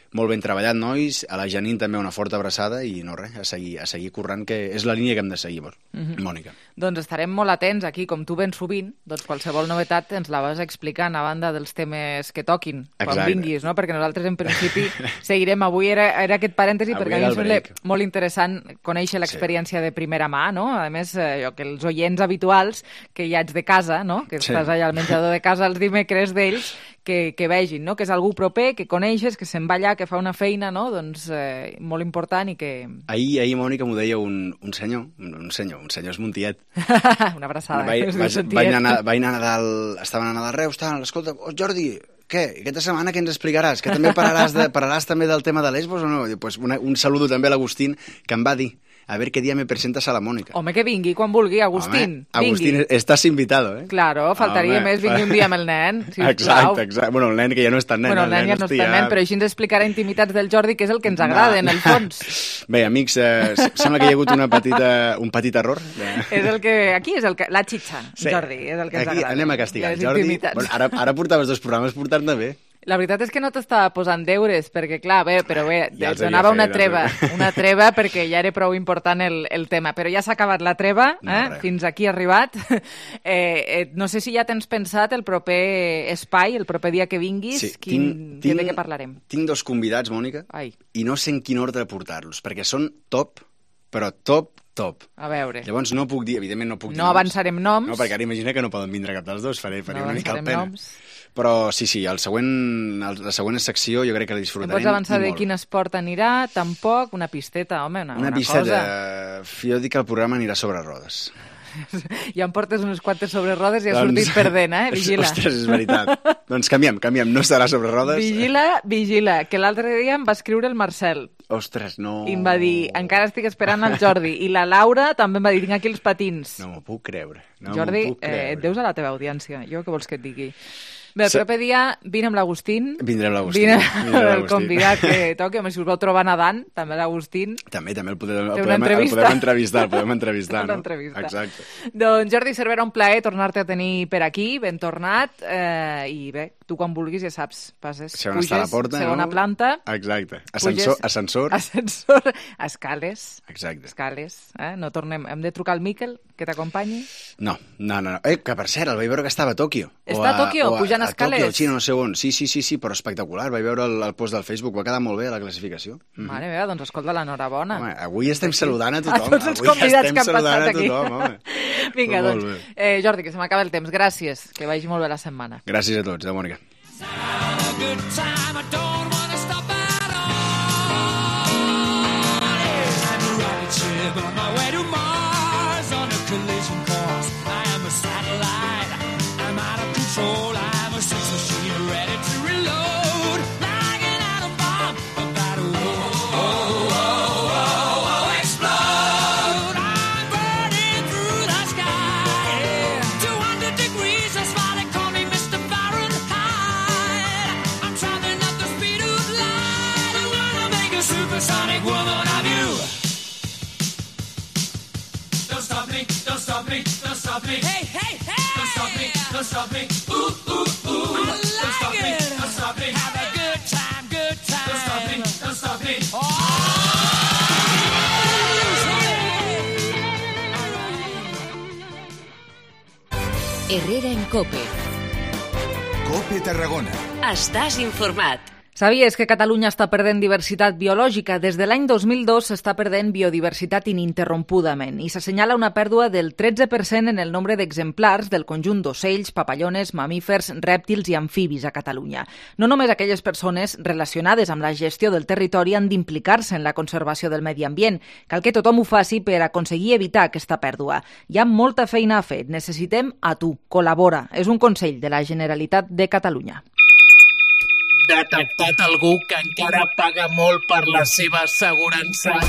molt ben treballat, nois, a la Janine també una forta abraçada i no res, a seguir currant, que és la línia que hem de seguir, Mònica. Doncs estarem molt atents aquí, com tu ben sovint, doncs qualsevol novetat ens la vas explicant a banda dels temes que toquin, quan vinguis, no? Perquè nosaltres en principi seguirem. Avui era aquest parèntesi perquè a mi em sembla molt interessant conèixer l'experiència de primera mà, no? A més, que els oients habituals que ja ets de casa, no? Que estàs allà al menjador de casa els dimecres d'ells, que vegin, no?, que és algú proper, que coneixes, que se'n va allà, que fa una feina, no?, doncs molt important i que... Ahir Mònica, m'ho deia un senyor Esmontiet. Una abraçada. Vaig anar a Nadal, estaven a Nadal Reus, escolta, Jordi, què? Aquesta setmana què ens explicaràs? Que també parlaràs també del tema de Lesbos o no? Pues un saludo també a l'Agustín, que em va dir, a ver qué día me presentas a la Mónica. Home, que vingui quan vulgui, Agustín. Agustín, estàs invitado, Claro, faltaria més, vingui un dia amb el nen, sisplau. Exacte. Bueno, el nen que ja no és tan nen. Bueno, el nen ja no és tan nen, però així ens explicarà intimitats del Jordi, que és el que ens agrada, en el fons. Bé, amics, sembla que hi ha hagut un petit error. Aquí és la xitxa, Jordi, és el que ens agrada. Aquí anem a castigar, Jordi. Ara portaves 2 programes portant-te bé. La veritat és que no t'estava posant deures, perquè, clar, ja et donava una treva perquè ja era prou important el tema. Però ja s'ha acabat la treva, fins aquí ha arribat. No sé si ja tens pensat el proper espai, el proper dia que vinguis, de què parlarem? Tinc 2 convidats, Mònica, i no sé en quin ordre portar-los, perquè són top, però top. A veure. Llavors no puc dir, evidentment no puc dir noms. No avançarem noms. No, perquè ara imagina que no poden vindre cap dels 2, faré una mica el pena. Però sí, la següent secció jo crec que la disfrutarem. Em pots avançar de quin esport anirà? Tampoc? Una pisteta, home, una pisteta. Jo dic que el programa anirà sobre rodes. Ja em portes unes quantes sobre rodes i has sortit perdent, Vigila. Ostres, és veritat. Doncs canviem, no estarà sobre rodes. Vigila, que l'altre dia em va escriure el Marcel. Ostres, no... I em va dir, encara estic esperant el Jordi. I la Laura també em va dir, tinc aquí els patins. No m'ho puc creure. Jordi, et deus a la teva audiència. Jo què vols que et digui? Bé, el proper dia vine amb l'Agustín. Vindrem l'Agustín. Vine el convidat que toqui. Si us vau trobar nedant, també l'Agustín. També el podem entrevistar. Exacte. Doncs Jordi Cervera, un plaer tornar-te a tenir per aquí, ben tornat. I bé, tu quan vulguis ja saps, passes, puges, segona planta. Exacte. Ascensor. Escales. Exacte. Escales. No tornem. Hem de trucar al Miquel, que t'acompanyi? No. Que per cert, el vaig veure que estava a Tòquio. Està a Tòquio, pujant escales? A Tòquio, Xina, no sé on. Sí, però espectacular. Vaig veure el post del Facebook, va quedar molt bé la classificació. Mare meva, doncs escolta, l'enhorabona. Home, avui estem saludant a tothom. A tots els convidats que han passat aquí. Vinga, doncs. Jordi, que se m'acaba el temps. Gràcies, que vagi molt bé la setmana. Gràcies a tots, Mònica. Herrera en COPE. COPE Tarragona. Estàs informat. Sabies que Catalunya està perdent diversitat biològica? Des de l'any 2002 s'està perdent biodiversitat ininterrompudament i s'assenyala una pèrdua del 13% en el nombre d'exemplars del conjunt d'ocells, papallones, mamífers, rèptils i amfibis a Catalunya. No només aquelles persones relacionades amb la gestió del territori han d'implicar-se en la conservació del medi ambient. Cal que tothom ho faci per aconseguir evitar aquesta pèrdua. Hi ha molta feina a fer. Necessitem a tu. Col·labora. És un consell de la Generalitat de Catalunya. Detectat algú que encara paga molt per la seva assegurança?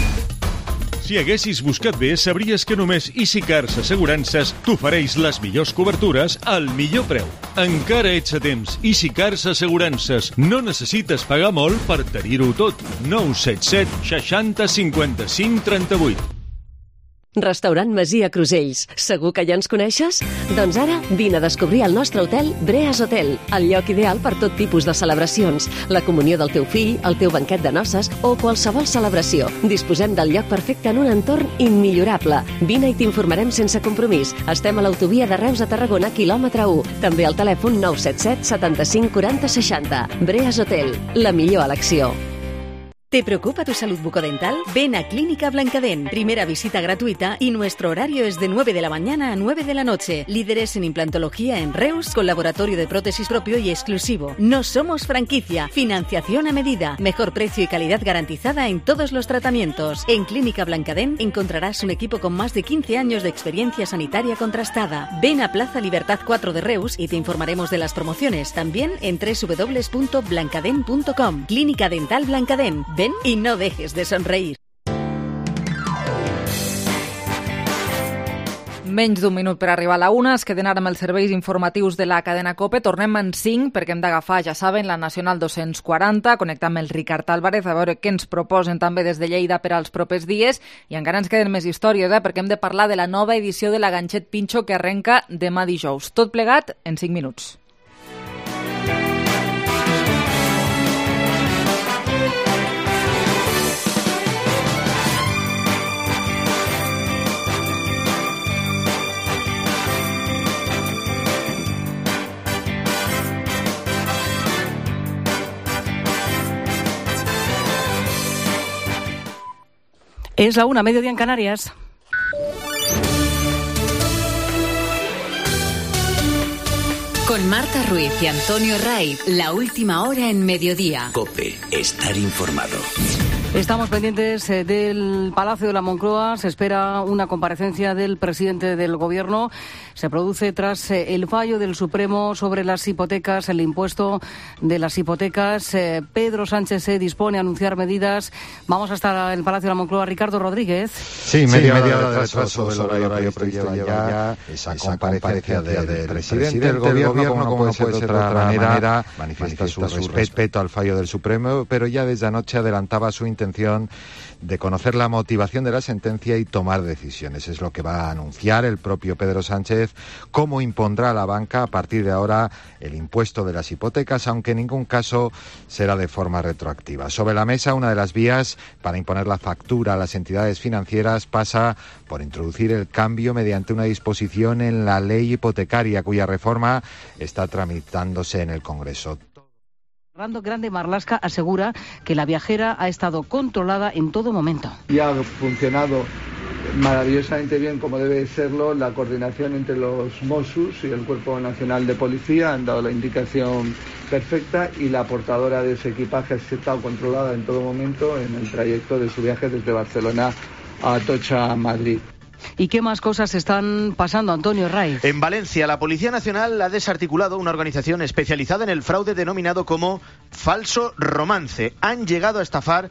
Si haguessis buscat bé, sabries que només EasyCars Assegurances t'ofereix les millors cobertures al millor preu. Encara ets a temps. EasyCars Assegurances. No necessites pagar molt per tenir-ho tot. 977 60 55 38. Restaurant Masia Crusells. Segur que ja ens coneixes? Doncs ara vine a descobrir el nostre hotel Breas Hotel, el lloc ideal per tot tipus de celebracions, la comunió del teu fill, el teu banquet de noces o qualsevol celebració. Disposem del lloc perfecte en un entorn immillorable. Vine i t'informarem sense compromís. Estem a l'autovia de Reus a Tarragona, quilòmetre 1. També al telèfon 977 75 40 60. Breas Hotel, la millor elecció. ¿Te preocupa tu salud bucodental? Ven a Clínica Blancadent. Primera visita gratuita y nuestro horario es de 9 de la mañana a 9 de la noche. Líderes en implantología en Reus, con laboratorio de prótesis propio y exclusivo. No somos franquicia. Financiación a medida. Mejor precio y calidad garantizada en todos los tratamientos. En Clínica Blancadent encontrarás un equipo con más de 15 años de experiencia sanitaria contrastada. Ven a Plaza Libertad 4 de Reus y te informaremos de las promociones. También en www.blancadent.com. Clínica Dental Blancadent. Ven y no dejes de sonreír. Menys d'un minut per arribar a la 1. Es queden ara amb els serveis informatius de la cadena COPE. Tornem en 5 perquè hem d'agafar, ja saben, la Nacional 240, connectar amb el Ricard Álvarez a veure què ens proposen també des de Lleida per als propers dies. I encara ens queden més històries, perquè hem de parlar de la nova edició de la Ganxet Pinxo que arrenca demà dijous. Tot plegat en 5 minuts. Es la 1, mediodía en Canarias. Con Marta Ruiz y Antonio Ray, la última hora en mediodía. COPE, estar informado. Estamos pendientes del Palacio de la Moncloa. Se espera una comparecencia del presidente del Gobierno. Se produce tras el fallo del Supremo sobre las hipotecas, el impuesto de las hipotecas. Pedro Sánchez se dispone a anunciar medidas. Vamos hasta el Palacio de la Moncloa. Ricardo Rodríguez. Sí, media hora de retraso sobre el horario previsto lleva ya esa comparecencia del presidente del Gobierno, como no puede ser de otra manera, manifiesta su respeto al fallo del Supremo, pero ya desde anoche adelantaba su intención de conocer la motivación de la sentencia y tomar decisiones. Es lo que va a anunciar el propio Pedro Sánchez, cómo impondrá a la banca a partir de ahora el impuesto de las hipotecas, aunque en ningún caso será de forma retroactiva. Sobre la mesa, una de las vías para imponer la factura a las entidades financieras pasa por introducir el cambio mediante una disposición en la ley hipotecaria, cuya reforma está tramitándose en el Congreso. Fernando Grande Marlaska asegura que la viajera ha estado controlada en todo momento. Y ha funcionado maravillosamente bien, como debe serlo, la coordinación entre los Mossos y el Cuerpo Nacional de Policía. Han dado la indicación perfecta y la portadora de ese equipaje ha estado controlada en todo momento en el trayecto de su viaje desde Barcelona a Atocha, Madrid. ¿Y qué más cosas están pasando, Antonio Raiz? En Valencia, la Policía Nacional ha desarticulado una organización especializada en el fraude denominado como Falso Romance. Han llegado a estafar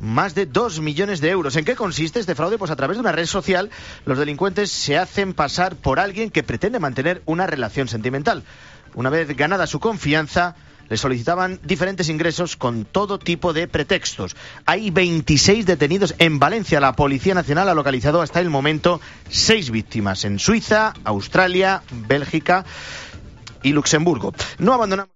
más de 2 millones de euros. ¿En qué consiste este fraude? Pues a través de una red social, los delincuentes se hacen pasar por alguien que pretende mantener una relación sentimental. Una vez ganada su confianza, le solicitaban diferentes ingresos con todo tipo de pretextos. Hay 26 detenidos en Valencia. La Policía Nacional ha localizado hasta el momento 6 víctimas en Suiza, Australia, Bélgica y Luxemburgo. No abandonamos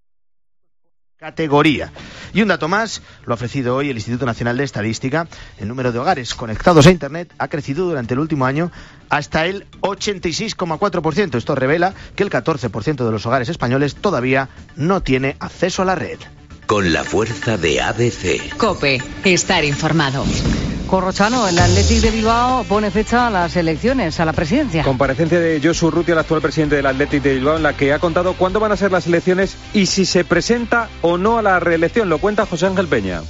categoría. Y un dato más, lo ha ofrecido hoy el Instituto Nacional de Estadística. El número de hogares conectados a Internet ha crecido durante el último año hasta el 86,4%. Esto revela que el 14% de los hogares españoles todavía no tiene acceso a la red. Con la fuerza de ABC. COPE. Estar informado. Corrochano, el Athletic de Bilbao pone fecha a las elecciones, a la presidencia. Comparecencia de Josu Urrutia, el actual presidente del Athletic de Bilbao, en la que ha contado cuándo van a ser las elecciones y si se presenta o no a la reelección. Lo cuenta José Ángel Peña.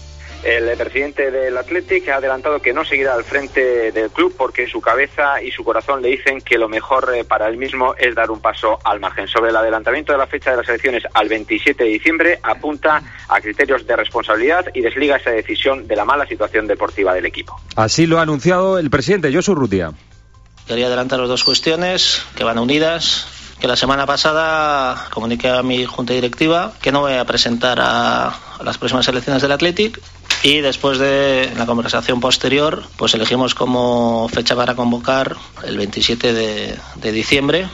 El presidente del Athletic ha adelantado que no seguirá al frente del club porque su cabeza y su corazón le dicen que lo mejor para él mismo es dar un paso al margen. Sobre el adelantamiento de la fecha de las elecciones al 27 de diciembre, apunta a criterios de responsabilidad y desliga esa decisión de la mala situación deportiva del equipo. Así lo ha anunciado el presidente Josu Urrutia. Quería adelantaros 2 cuestiones que van unidas. Que la semana pasada comuniqué a mi junta directiva que no voy a presentar a las próximas elecciones del Athletic, y después de la conversación posterior pues elegimos como fecha para convocar el 27 de diciembre,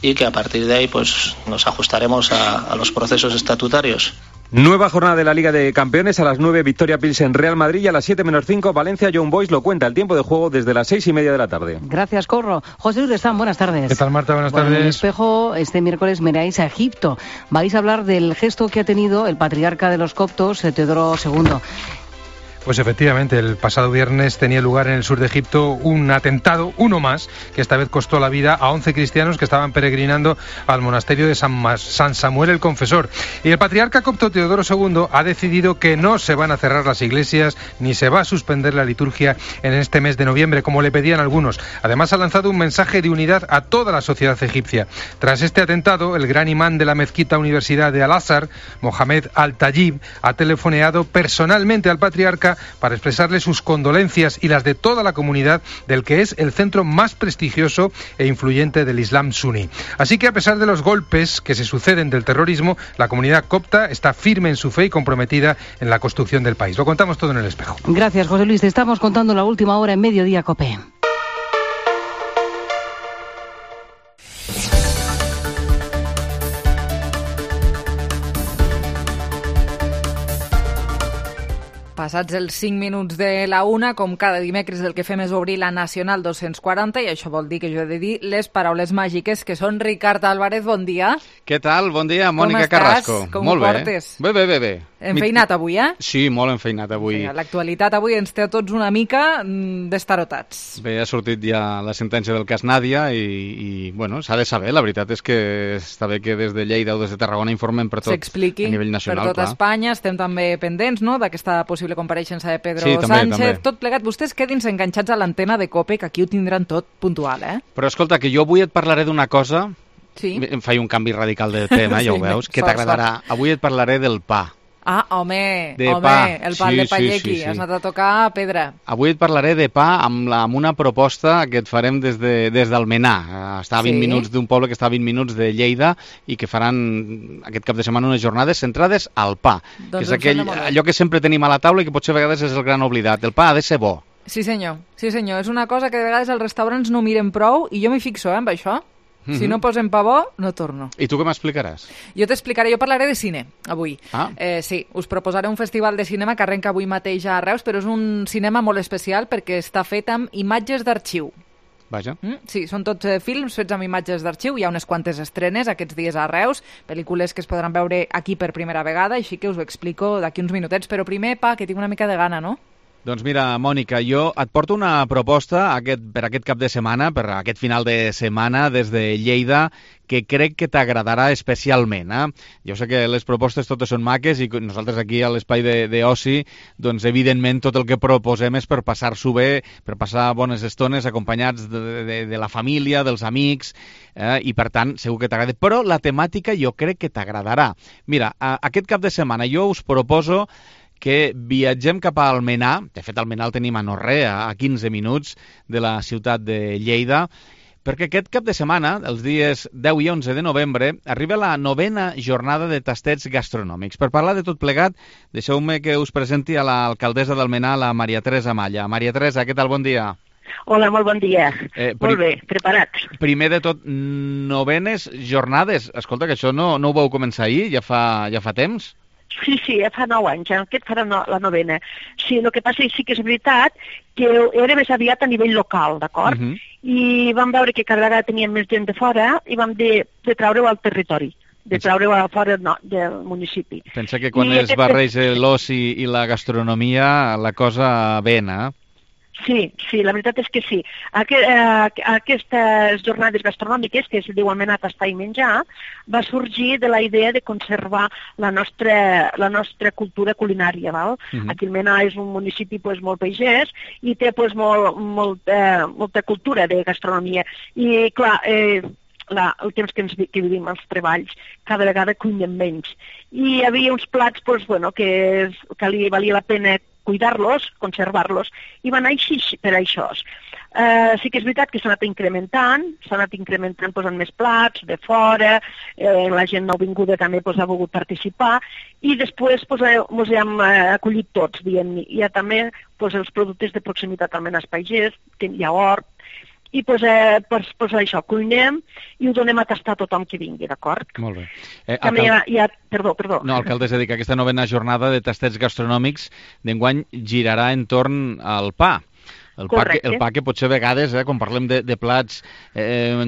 y que a partir de ahí pues nos ajustaremos a los procesos estatutarios. Nueva jornada de la Liga de Campeones. A las 9, Victoria Pilsen Real Madrid, y a las 7 menos 5, Valencia Young Boys. Lo cuenta el tiempo de juego desde las 6:30 de la tarde. Gracias, Corro. José Luis Lestán, buenas tardes. ¿Qué tal, Marta? Buenas tardes. En el Espejo, este miércoles miráis a Egipto. Vais a hablar del gesto que ha tenido el patriarca de los coptos, Teodoro II. Pues efectivamente, el pasado viernes tenía lugar en el sur de Egipto un atentado, uno más, que esta vez costó la vida a 11 cristianos que estaban peregrinando al monasterio de San Samuel el Confesor. Y el patriarca copto Teodoro II ha decidido que no se van a cerrar las iglesias ni se va a suspender la liturgia en este mes de noviembre, como le pedían algunos. Además, ha lanzado un mensaje de unidad a toda la sociedad egipcia. Tras este atentado, el gran imán de la mezquita Universidad de Al-Azhar, Mohamed Al-Tayyib, ha telefoneado personalmente al patriarca para expresarle sus condolencias y las de toda la comunidad del que es el centro más prestigioso e influyente del Islam suní. Así que, a pesar de los golpes que se suceden del terrorismo, la comunidad copta está firme en su fe y comprometida en la construcción del país. Lo contamos todo en El Espejo. Gracias, José Luis. Te estamos contando la última hora en Mediodía COPE. Passats els 5 minuts de la 1, com cada dimecres el que fem és obrir la Nacional 240, i això vol dir que jo he de dir les paraules màgiques, que són Ricard Álvarez. Bon dia. Què tal? Bon dia, Mònica Carrasco. Com ho portes? Bé. Enfeinat avui, Sí, molt enfeinat avui. L'actualitat avui ens té a tots una mica destarotats. Bé, ha sortit ja la sentència del cas Nàdia i bueno, s'ha de saber. La veritat és que està bé que des de Lleida o des de Tarragona informen per tot s'expliqui a nivell nacional. Per tot Espanya. Estem també pendents, no?, d'aquesta possible compareixença de Pedro sí, Sánchez. També. Tot plegat, vostès quedin-se enganxats a l'antena de COPE, que aquí ho tindran tot puntual, Però escolta, que jo avui et parlaré d'una cosa. Sí. Em faig un canvi radical de tema, ja ho veus, que t'agradarà. Avui et parlaré del pa. Ah, home, el pa de Pallequi. Sí. Has anat a tocar pedra. Avui et parlaré de pa amb una proposta que et farem des d'Almenar. Està a 20 minuts d'un poble que està a 20 minuts de Lleida i que faran aquest cap de setmana unes jornades centrades al pa, que és allò que sempre tenim a la taula i que potser a vegades és el gran oblidat. El pa ha de ser bo. Sí senyor. És una cosa que de vegades els restaurants no miren prou i jo m'hi fixo, amb això. Si no posem pa bo, no torno. I tu què m'explicaràs? Jo parlaré de cine, avui. Sí, us proposaré un festival de cinema que arrenca avui mateix a Reus, però és un cinema molt especial perquè està fet amb imatges d'arxiu. Vaja. Sí, són tots films fets amb imatges d'arxiu. Hi ha unes quantes estrenes aquests dies a Reus, pel·lícules que es podran veure aquí per primera vegada, així que us ho explico d'aquí uns minutets. Però primer, pa, que tinc una mica de gana, no? Doncs mira, Mònica, jo et porto una proposta per aquest cap de setmana, per aquest final de setmana des de Lleida, que crec que t'agradarà especialment. Jo sé que les propostes totes són maques i nosaltres aquí a l'espai d'oci, doncs evidentment tot el que proposem és per passar-s'ho bé, per passar bones estones acompanyats de la família, dels amics, i per tant segur que t'agrada. Però la temàtica jo crec que t'agradarà. Mira, aquest cap de setmana jo us proposo que viatgem cap a Almenar. De fet, Almenar el tenim a no res, a 15 minuts de la ciutat de Lleida, perquè aquest cap de setmana, els dies 10 i 11 de novembre, arriba la 9ª jornada de tastets gastronòmics. Per parlar de tot plegat, deixeu-me que us presenti a l'alcaldessa d'Almenar, la Maria Teresa Malla. Maria Teresa, què tal? Bon dia. Hola, molt bon dia. Molt bé, preparats. Primer de tot, 9enes jornades. Escolta, que això no ho vau començar ahir, ja fa temps? Sí, ja fa 9 anys, aquest farà la 9ena. Sí, el que passa sí que és veritat que era més aviat a nivell local, d'acord? I vam veure que cada vegada teníem més gent de fora i vam de treure-ho al territori, de treure-ho a fora del municipi. Pensa que quan es barreja l'oci i la gastronomia, la cosa ven, Sí, la veritat és que sí. Aquestes jornades gastronòmiques, que es diu Almenar, tastar i menjar, va sorgir de la idea de conservar la nostra cultura culinària. Val? Aquí Almenar és un municipi molt pagès i té molta cultura de gastronomia. I clar, el temps que vivim els treballs, cada vegada cuinem menys. I hi havia uns plats que li valia la pena cuidar-los, conservar-los, i va anar així per això. Sí que és veritat que s'ha anat incrementant posant més plats de fora, la gent nouvinguda també ha volgut participar, i després ens hem acollit tots, diguem-ne. Hi ha també els productes de proximitat al Almenar Pagès, hi ha hort, i per això cuinem i ho donem a tastar a tothom que vingui, d'acord? Molt bé. També hi ha... Perdó. No, alcaldessa, dic que aquesta 9ena jornada de tastets gastronòmics d'enguany girarà entorn al pa. El pa que potser a vegades, quan parlem de plats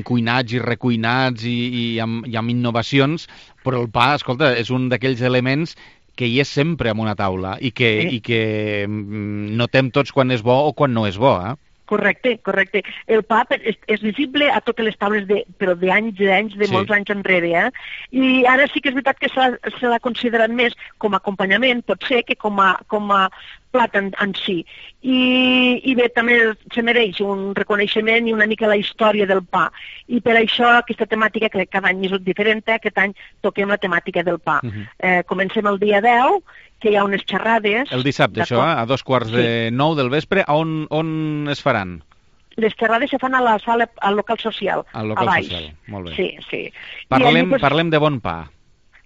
cuinats i recuinats i amb innovacions, però el pa, escolta, és un d'aquells elements que hi és sempre en una taula i que notem tots quan és bo o quan no és bo, Correcte. El pa és visible a totes les taules, però d'anys, de molts anys enrere. I ara sí que és veritat que se l'ha considerat més com a acompanyament, potser, que com a plat en si. I bé, també se mereix un reconeixement i una mica la història del pa. I per això aquesta temàtica, que cada any és diferent, aquest any toquem la temàtica del pa. Comencem el dia 10, que hi ha unes xerrades... El dissabte, això, a 2:45 del vespre. On es faran? Les xerrades se fan a la sala, al local social, al local social, molt bé. Sí. Parlem de bon pa.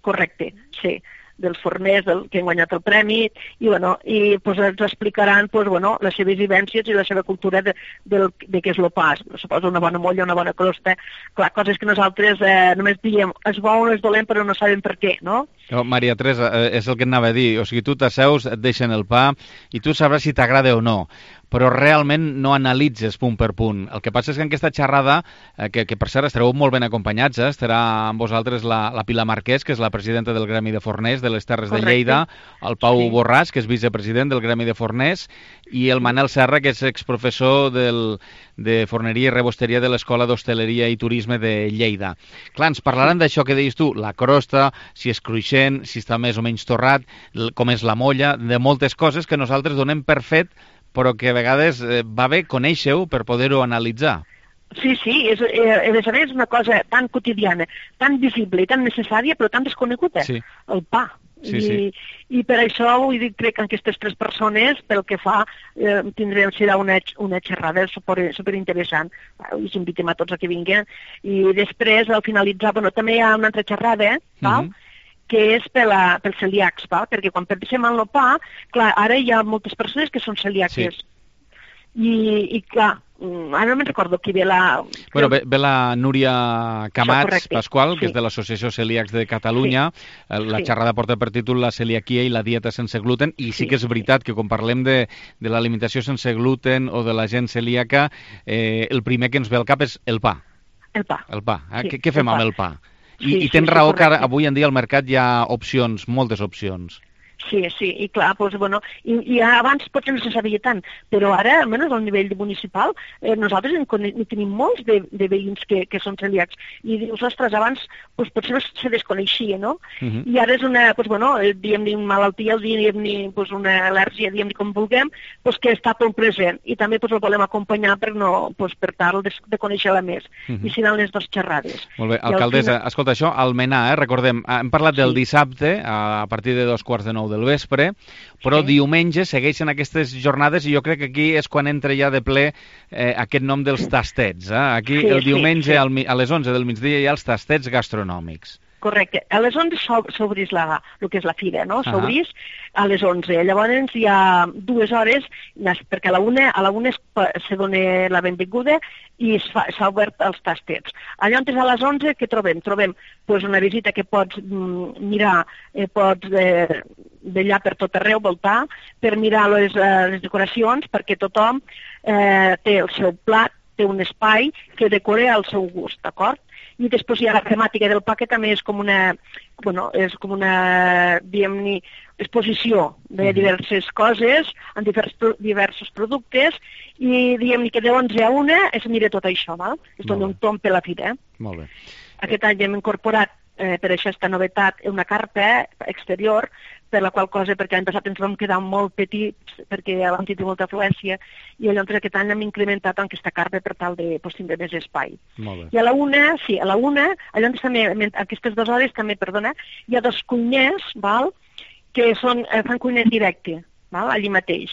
Correcte, sí. Dels forners que han guanyat el premi, i ens explicaran les seves vivències i la seva cultura de què és el pa. Suposo una bona molla, una bona crosta, clar, coses que nosaltres només diem és bo o és dolent però no sabem per què, no? Maria Teresa, és el que et anava a dir. O sigui, tu t'asseus, et deixen el pa i tu sabràs si t'agrada o no, però realment no analitzes punt per punt. El que passa és que en aquesta xerrada, que per cert estareu molt ben acompanyats, estarà amb vosaltres la Pilar Marquès, que és la presidenta del Gremi de Forners de les Terres de Lleida, el Pau Borràs, que és vicepresident del Gremi de Forners, i el Manel Serra, que és exprofessor de Forneria i Rebosteria de l'Escola d'Hostaleria i Turisme de Lleida. Clar, ens parlaran d'això que deies tu, la crosta, si és cruixent, si està més o menys torrat, com és la molla, de moltes coses que nosaltres donem per fet, però que a vegades va bé conèixer-ho per poder-ho analitzar. Sí, a més és una cosa tan quotidiana, tan visible i tan necessària, però tan desconeguda, el pa. I per això vull dir, crec que aquestes tres persones, pel que fa, serà una xerrada superinteressant. Us invitem a tots a que vinguin. I després, al finalitzar, també hi ha una altra xerrada, que és pels celíacs, perquè quan pensem en el pa, clar, ara hi ha moltes persones que són celíaques. I clar, ara no me'n recordo qui ve la... Bueno, ve la Núria Camats Pasqual, que és de l'Associació Celíacs de Catalunya. La xerrada porta per títol La celiaquia i la dieta sense gluten, i sí que és veritat que quan parlem de l'alimentació sense gluten o de la gent celíaca, el primer que ens ve al cap és el pa. El pa. Què fem amb el pa? I tens raó que avui en dia al mercat hi ha opcions, moltes opcions. Sí, i clar, i abans potser no se sabia tant, però ara, almenys al nivell municipal, nosaltres en tenim molts de veïns que són celíacs, i dius, ostres, abans potser no se desconeixia, no? I ara és una, diguem-ne, malaltia, diguem-ne, una al·lèrgia, diguem-ne com vulguem, que està tot present, i també el volem acompanyar per tal de conèixer-la més, i seran les dues xerrades. Molt bé, alcaldessa, escolta, això, Almenar, recordem, hem parlat del dissabte, a partir de 2:45 del vespre, però diumenge segueixen aquestes jornades i jo crec que aquí és quan entra ja de ple aquest nom dels tastets. Aquí el diumenge a les 11 del migdia hi ha els tastets gastronòmics. Correcte. A les 11 s'obrís el que és la fira, no? S'obrís a les 11. Llavors hi ha 2 hores, perquè a la una se dona la benvinguda i s'ha obert els tastets. Allà on és a les 11, què trobem? Trobem una visita que pots mirar, pots vetllar per tot arreu, voltar, per mirar les decoracions, perquè tothom té el seu plat, té un espai que decora al seu gust, d'acord? I després hi ha la temàtica del pa, que també és com una, diguem-ne, exposició de diverses coses, en diversos productes, i diguem-ne que de 11 a 1 es mira tot això, val? Es dona un tomb per la fira. Molt bé. Aquest any hem incorporat per això aquesta novetat una carpa exterior, per la qual cosa, perquè l'any passat ens vam quedar molt petits, perquè vam tenir molta afluència, i llavors aquest any hem incrementat aquesta carpa per tal de tindre més espai. Molt bé. I a la una, llavors també, aquestes 2 hores també, hi ha 2 cuiners, que fan cuina en directe, allí mateix,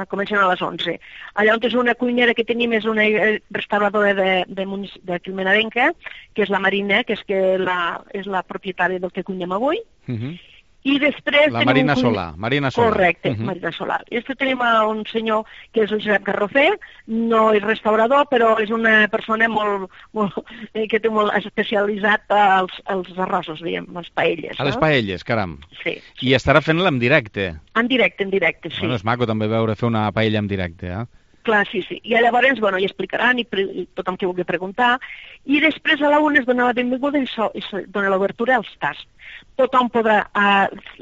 comencen a les 11. Allà on és una cuinera que tenim és una restauradora de Quilmenadenca, que és la Marina, que és la propietària del que cuinem avui, i després la Marina Solà. Correcte, Marina Solà. I després tenim un senyor que és el Josep Garrofer, no és restaurador, però és una persona que té molt especialitzat als arrossos, diguem, les paelles. A les paelles, caram. Sí. I estarà fent-la en directe. En directe, sí. Bueno, és maco també veure fer una paella en directe, Clar, sí. I llavors, hi explicaran i tothom que vulgui preguntar. I després a la una es dona la benvinguda i es dona l'obertura als tasts. Tothom podrà,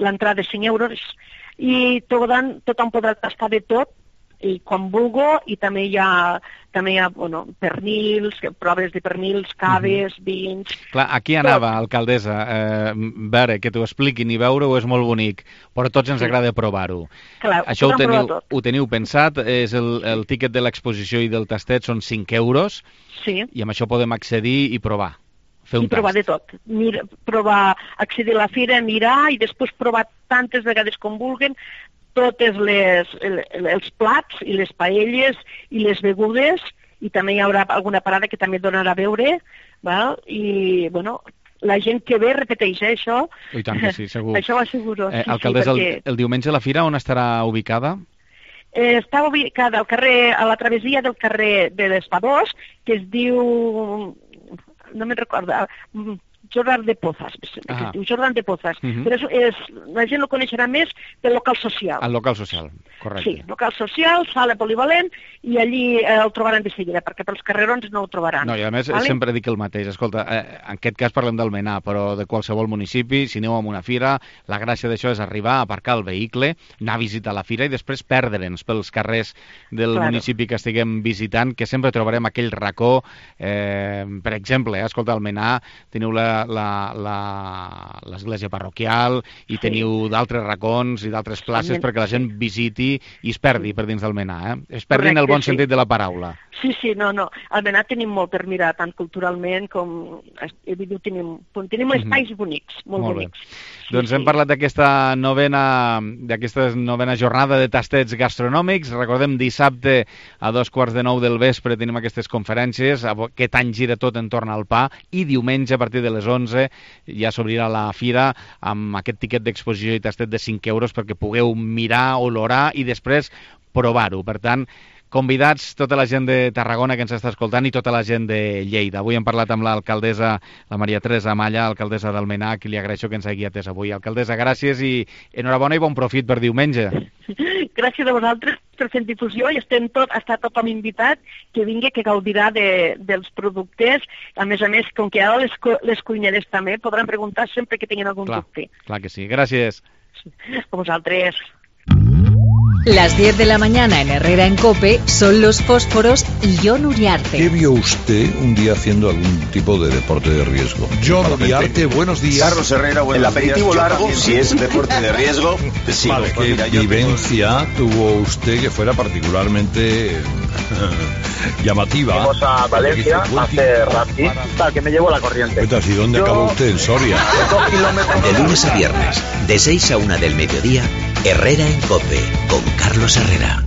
l'entrada de 5 euros, i tothom podrà tastar de tot, i quan vulgui, i també hi ha pernils, proves de pernils, caves, vins... Clar, aquí anava, alcaldessa, veure, que t'ho expliquin i veure-ho és molt bonic, però tots ens agrada provar-ho. Això ho teniu pensat, és el tíquet de l'exposició i del tastet són 5 euros, i amb això podem accedir i provar. I provar de tot. Provar, accedir a la fira, mirar, i després provar tantes vegades com vulguin, totes els plats i les paelles i les begudes, i també hi haurà alguna parada que també donarà a beure, i, la gent que ve repeteix això. I tant que sí, segur. Això ho asseguro. Alcaldessa, el diumenge la fira on estarà ubicada? Està ubicada al carrer, a la travessia del carrer de l'Espadós, que es diu... no me'n recordo... Jordan de Pozas, que es diu Jordan de Pozas, però la gent el coneixerà més del local social. El local social, correcte. Sí, local social, sala polivalent, i allí el trobaran de seguida, perquè pels carrerons no ho trobaran. No, i a més sempre dic el mateix, escolta, en aquest cas parlem d'Almenar, però de qualsevol municipi, si aneu a una fira, la gràcia d'això és arribar, aparcar el vehicle, anar a visitar la fira i després perdre'ns pels carrers del municipi que estiguem visitant, que sempre trobarem aquell racó, per exemple, escolta, a Almenar teniu l'església parroquial i teniu d'altres racons i d'altres places perquè la gent visiti i es perdi per dins d'Almenar, es perdi en el bon sentit de la paraula. Sí, no. Almenar tenim molt per mirar, tant culturalment com... Tenim espais bonics, molt bonics. Doncs hem parlat d'aquesta novena jornada de tastets gastronòmics. Recordem, dissabte a 8:45 del vespre tenim aquestes conferències. Aquest any gira tot entorn al pa i diumenge a partir de les 11 ja s'obrirà la fira amb aquest tiquet d'exposició i tastet de 5 euros perquè pugueu mirar, olorar i després provar-ho. Per tant, convidats tota la gent de Tarragona que ens està escoltant i tota la gent de Lleida. Avui hem parlat amb l'alcaldessa, la Maria Teresa Amalla, alcaldessa d'Almenar, que li agraeixo que ens hagi atès avui. Alcaldessa, gràcies i enhorabona i bon profit per diumenge. Gràcies a vosaltres per fer difusió i està tothom invitat que vingui, que gaudirà dels productes. A més, com que ara les cuineres també podran preguntar sempre que tinguin algun dubte. Clar que sí. Gràcies. A vosaltres. Las 10 de la mañana en Herrera en COPE son los fósforos y Jon Uriarte. ¿Qué vio usted un día haciendo algún tipo de deporte de riesgo? Jon Uriarte, buenos días. Carlos Herrera, buenos días. El aperitivo largo, si es deporte de riesgo, sí. Vale, ¿qué vivencia tuvo usted que fuera particularmente llamativa? Vamos a Valencia a hacer rafting, para que me llevo la corriente. ¿Y dónde acabó usted? ¿En Soria? De lunes a viernes, de 6 a 1 del mediodía, Herrera en COPE, con Carlos Herrera.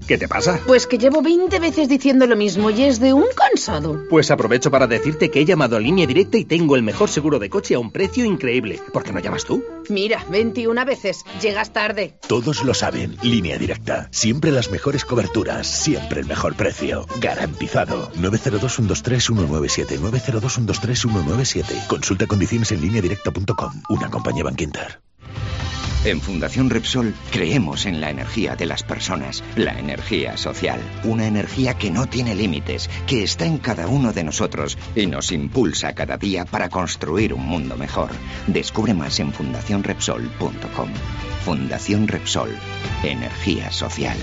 ¿Qué te pasa? Pues que llevo 20 veces diciendo lo mismo y es de un cansado. Pues aprovecho para decirte que he llamado a Línea Directa y tengo el mejor seguro de coche a un precio increíble. ¿Por qué no llamas tú? Mira, 21 veces. Llegas tarde. Todos lo saben. Línea Directa. Siempre las mejores coberturas. Siempre el mejor precio. Garantizado. 902-123-197. 902-123-197. Consulta condiciones en lineadirecta.com. Una compañía Bankinter. En Fundación Repsol creemos en la energía de las personas, la energía social, una energía que no tiene límites, que está en cada uno de nosotros y nos impulsa cada día para construir un mundo mejor. Descubre más en fundacionrepsol.com. Fundación Repsol, energía social.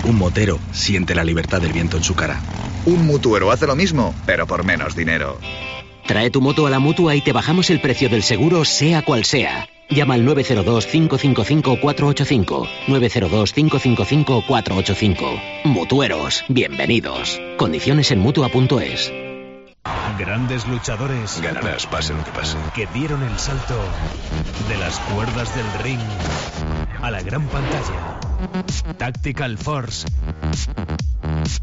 Un motero siente la libertad del viento en su cara. Un mutuero hace lo mismo, pero por menos dinero. Trae tu moto a la Mutua y te bajamos el precio del seguro, sea cual sea. Llama al 902-555-485. 902-555-485. Mutueros, bienvenidos. Condiciones en Mutua.es. Grandes luchadores. Ganarás, pase lo que pase. Que dieron el salto de las cuerdas del ring a la gran pantalla. Tactical Force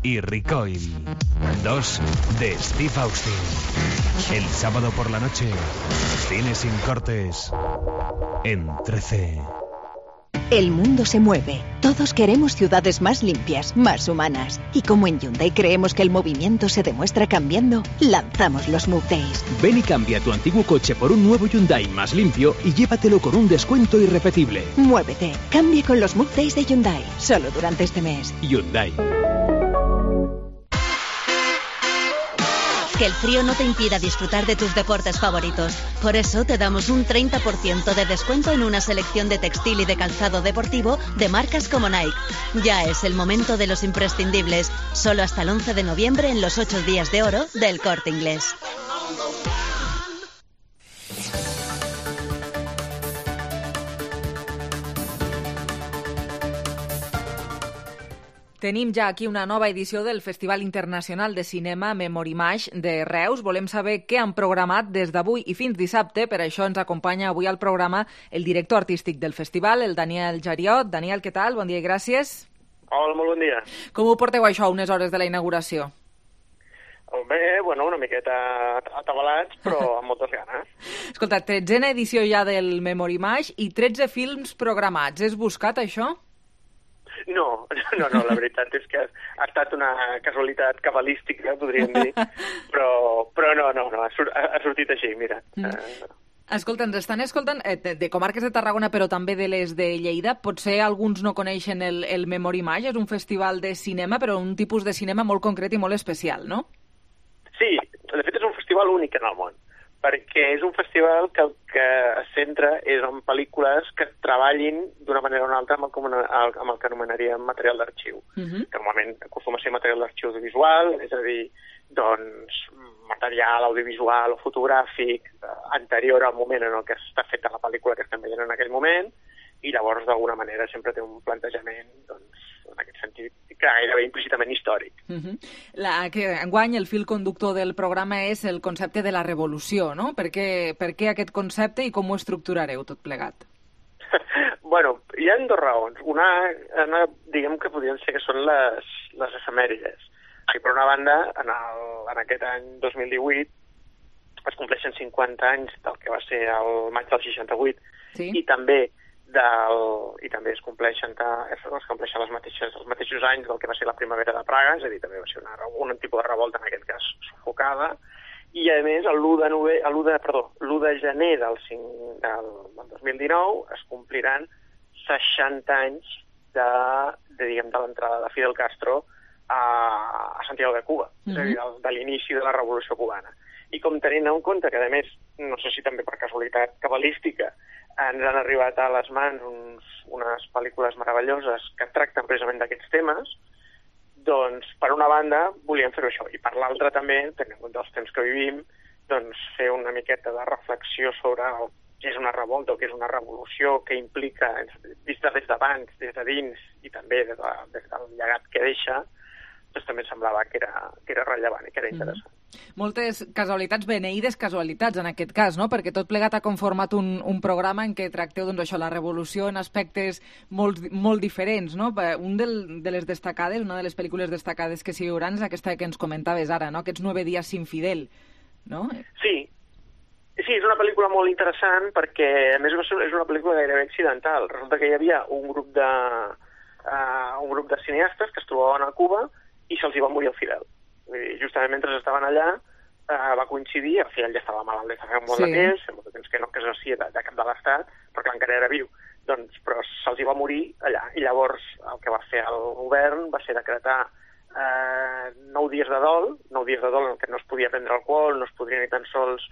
y Recoil 2 de Steve Austin. El sábado por la noche, cine sin cortes en 13. El mundo se mueve. Todos queremos ciudades más limpias, más humanas. Y como en Hyundai creemos que el movimiento se demuestra cambiando, lanzamos los Move Days. Ven y cambia tu antiguo coche por un nuevo Hyundai más limpio y llévatelo con un descuento irrepetible. Muévete. Cambia con los Move Days de Hyundai. Solo durante este mes. Hyundai. Que el frío no te impida disfrutar de tus deportes favoritos. Por eso te damos un 30% de descuento en una selección de textil y de calzado deportivo de marcas como Nike. Ya es el momento de los imprescindibles. Solo hasta el 11 de noviembre en los 8 días de oro del Corte Inglés. Tenim ja aquí una nova edició del Festival Internacional de Cinema Memorimage de Reus. Volem saber què han programat des d'avui i fins dissabte. Per això ens acompanya avui al programa el director artístic del festival, el Daniel Jariot. Daniel, què tal? Bon dia i gràcies. Hola, molt bon dia. Com ho porteu això a unes hores de la inauguració? Bé, bueno, una miqueta atabalats, però amb moltes ganes. Escolta, 13a edició ja del Memorimage i 13 films programats. És buscat, això? No, la veritat és que ha estat una casualitat cabalística, podríem dir, però no, ha sortit així, mira. Escolta, ens estan escoltant de comarques de Tarragona, però també de les de Lleida. Potser alguns no coneixen el Memory Image, és un festival de cinema, però un tipus de cinema molt concret i molt especial, no? Sí, de fet és un festival únic en el món, perquè és un festival que el que es centra és en pel·lícules que treballin d'una manera o una altra amb el que anomenaríem material d'arxiu, que normalment acostuma a ser material d'arxiu audiovisual, és a dir, doncs, material audiovisual o fotogràfic anterior al moment en el que està feta la pel·lícula que estem veient en aquell moment, i llavors d'alguna manera sempre té un plantejament, doncs, en aquest sentit, gairebé implícitament històric. Enguany el fil conductor del programa és el concepte de la revolució, no? Per què aquest concepte i com ho estructurareu tot plegat? Bueno, hi ha dues raons. Una diguem que podrien ser que són les efemèrides. Per una banda, en aquest any 2018 es compleixen 50 anys del que va ser el maig del 68, sí? i també es compleixen els mateixos anys del que va ser la primavera de Praga, és a dir, també va ser un tipus de revolta, en aquest cas sufocada, i a més l'1 de gener del 2019 es compliran 60 anys de l'entrada de Fidel Castro a Santiago de Cuba, és a dir, de l'inici de la Revolució Cubana. I com tenint en compte que, a més, no sé si també per casualitat cabalística, ens han arribat a les mans unes pel·lícules meravelloses que tracten precisament d'aquests temes, doncs, per una banda, volíem fer-ho això, i per l'altra també, tenint en compte els temps que vivim, doncs, fer una miqueta de reflexió sobre què és una revolta o què és una revolució, què implica, vista des d'abans, des de dins, i també des del llegat que deixa, doncs també semblava que era rellevant i que era interessant. Moltes casualitats, beneïdes casualitats en aquest cas, no? Perquè tot plegat ha conformat un programa en què tracteu la revolució en aspectes molt diferents, no? Una de les pel·lícules destacades que s'hi hauran és aquesta que ens comentaves ara, no? Aquests 9 dies sin Fidel, no? Sí, és una pel·lícula molt interessant perquè, a més, és una pel·lícula gairebé accidental. Resulta que hi havia un grup de cineastes que es trobaven a Cuba i se'ls hi va morir el Fidel. Justament mentre estaven allà va coincidir, el Fidel ja estava malalt des de fa molt de temps, fa molt de temps que no exercia de cap de l'Estat, perquè encara era viu, doncs, però se'ls hi va morir allà. I llavors el que va fer el govern va ser decretar 9 dies de dol en què no es podia prendre alcohol, no es podia ni tan sols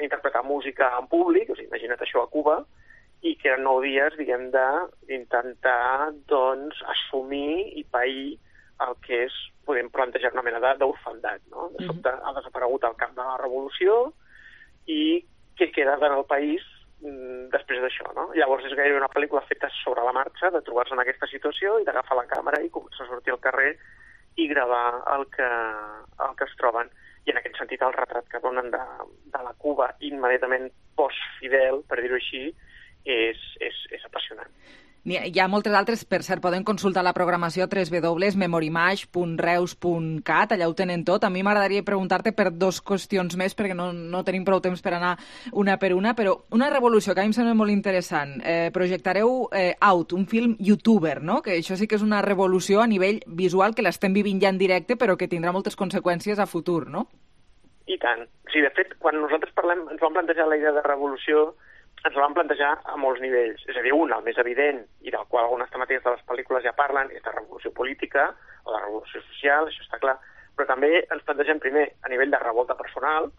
interpretar música en públic, o sigui, imagina't això a Cuba, i que eren 9 dies, diguem, d'intentar, doncs, assumir i pair el que és, podem plantejar una mena d'orfandat, no? De sobte ha desaparegut el cap de la revolució i què queda en el país després d'això, no? Llavors és gairebé una pel·lícula feta sobre la marxa, de trobar-se en aquesta situació i d'agafar la càmera i començar a sortir al carrer i gravar el que es troben. I en aquest sentit el retrat que donen de la Cuba immediatament post-Fidel, per dir-ho així, és apassionant. Hi ha moltes altres, per cert, poden consultar la programació a www.memorimage.reus.cat, allà ho tenen tot. A mi m'agradaria preguntar-te per 2 qüestions més, perquè no tenim prou temps per anar una per una, però una revolució que a mi em sembla molt interessant. Projectareu Out, un film youtuber, no? Que això sí que és una revolució a nivell visual, que l'estem vivint ja en directe, però que tindrà moltes conseqüències a futur, no? I tant. Sí, de fet, quan nosaltres ens vam plantejar la idea de revolució, ens la vam plantejar a molts nivells. És a dir, el més evident, i del qual algunes temàtiques de les pel·lícules ja parlen, és la revolució política o la revolució social, això està clar, però també ens plantegem primer a nivell de revolta personal,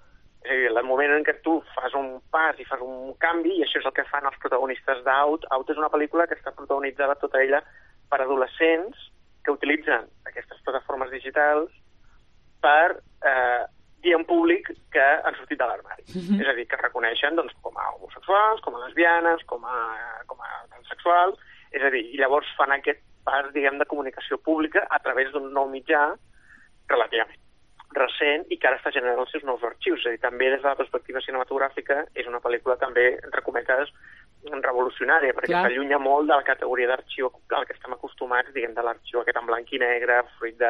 és a dir, el moment en què tu fas un pas i fas un canvi, i això és el que fan els protagonistes d'Out. Out és una pel·lícula que està protagonitzada tota ella per adolescents que utilitzen aquestes plataformes digitals per dir en públic que han sortit de l'armari. És a dir, que reconeixen doncs, com a homosexuals, com a lesbianes, com a transsexuals, és a dir, i llavors fan aquest pas, diguem, de comunicació pública a través d'un nou mitjà relativament recent i que ara està generant els seus nous arxius. És a dir, també des de la perspectiva cinematogràfica és una pel·lícula també, entre cometes, revolucionària, perquè s'allunya molt de la categoria d'arxiu al que estem acostumats, diguem, de l'arxiu aquest en blanc i negre, fruit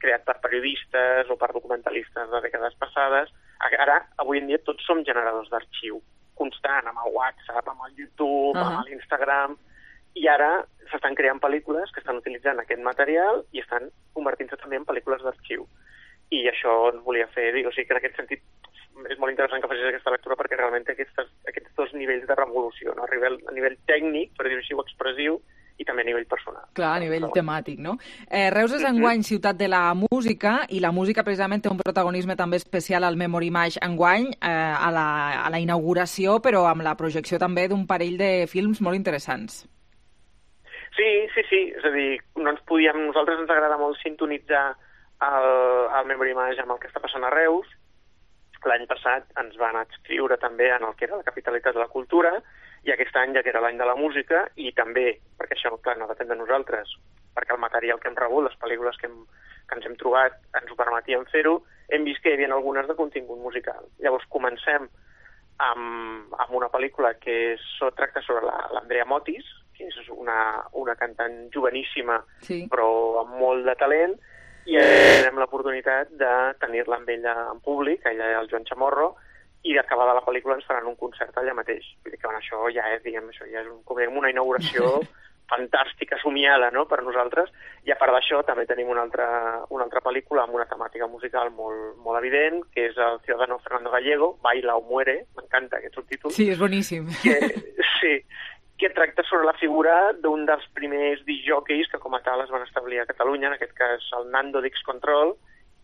creat per periodistes o per documentalistes de dècades passades. Ara, avui en dia, tots som generadors d'arxiu constant, amb el WhatsApp, amb el YouTube, amb l'Instagram, I ara s'estan creant pel·lícules que estan utilitzant aquest material i estan convertint-se també en pel·lícules d'arxiu. I això ens volia fer dir, o sigui que en aquest sentit és molt interessant que facis aquesta lectura perquè realment té aquests dos nivells de revolució, no? A nivell tècnic, per dir-ho així, o expressiu, i també a nivell personal. Clar, a nivell temàtic, no? Reus és enguany ciutat de la música i la música precisament té un protagonisme també especial al Memory Mash enguany, a la inauguració, però amb la projecció també d'un parell de films molt interessants. Sí, és a dir, nosaltres ens agrada molt sintonitzar el Memory Mash amb el que està passant a Reus. L'any passat ens van adscriure també en el que era la capitalitat de la cultura, i aquest any ja que era l'any de la música, i també, perquè això clar, no depèn de nosaltres, perquè el material que hem rebut, les pel·lícules que ens hem trobat, ens ho permetien fer-ho, hem vist que hi havia algunes de contingut musical. Llavors comencem amb una pel·lícula que tracta sobre l'Andrea Motis, que és una cantant joveníssima, sí, però amb molt de talent, i tenim l'oportunitat de tenir-la amb ella en públic, ella i el Joan Chamorro, i d'acabada la pel·lícula ens faran un concert allà mateix. Vull dir que això ja és una inauguració fantàstica, somiada, no?, per nosaltres. I a part d'això també tenim una altra pel·lícula amb una temàtica musical molt evident, que és el ciudadano Fernando Gallego, Baila o muere, m'encanta aquest subtítol. Sí, és boníssim. Que tracta sobre la figura d'un dels primers discjòqueis que com a tal es van establir a Catalunya, en aquest cas el Nando d'X-Control,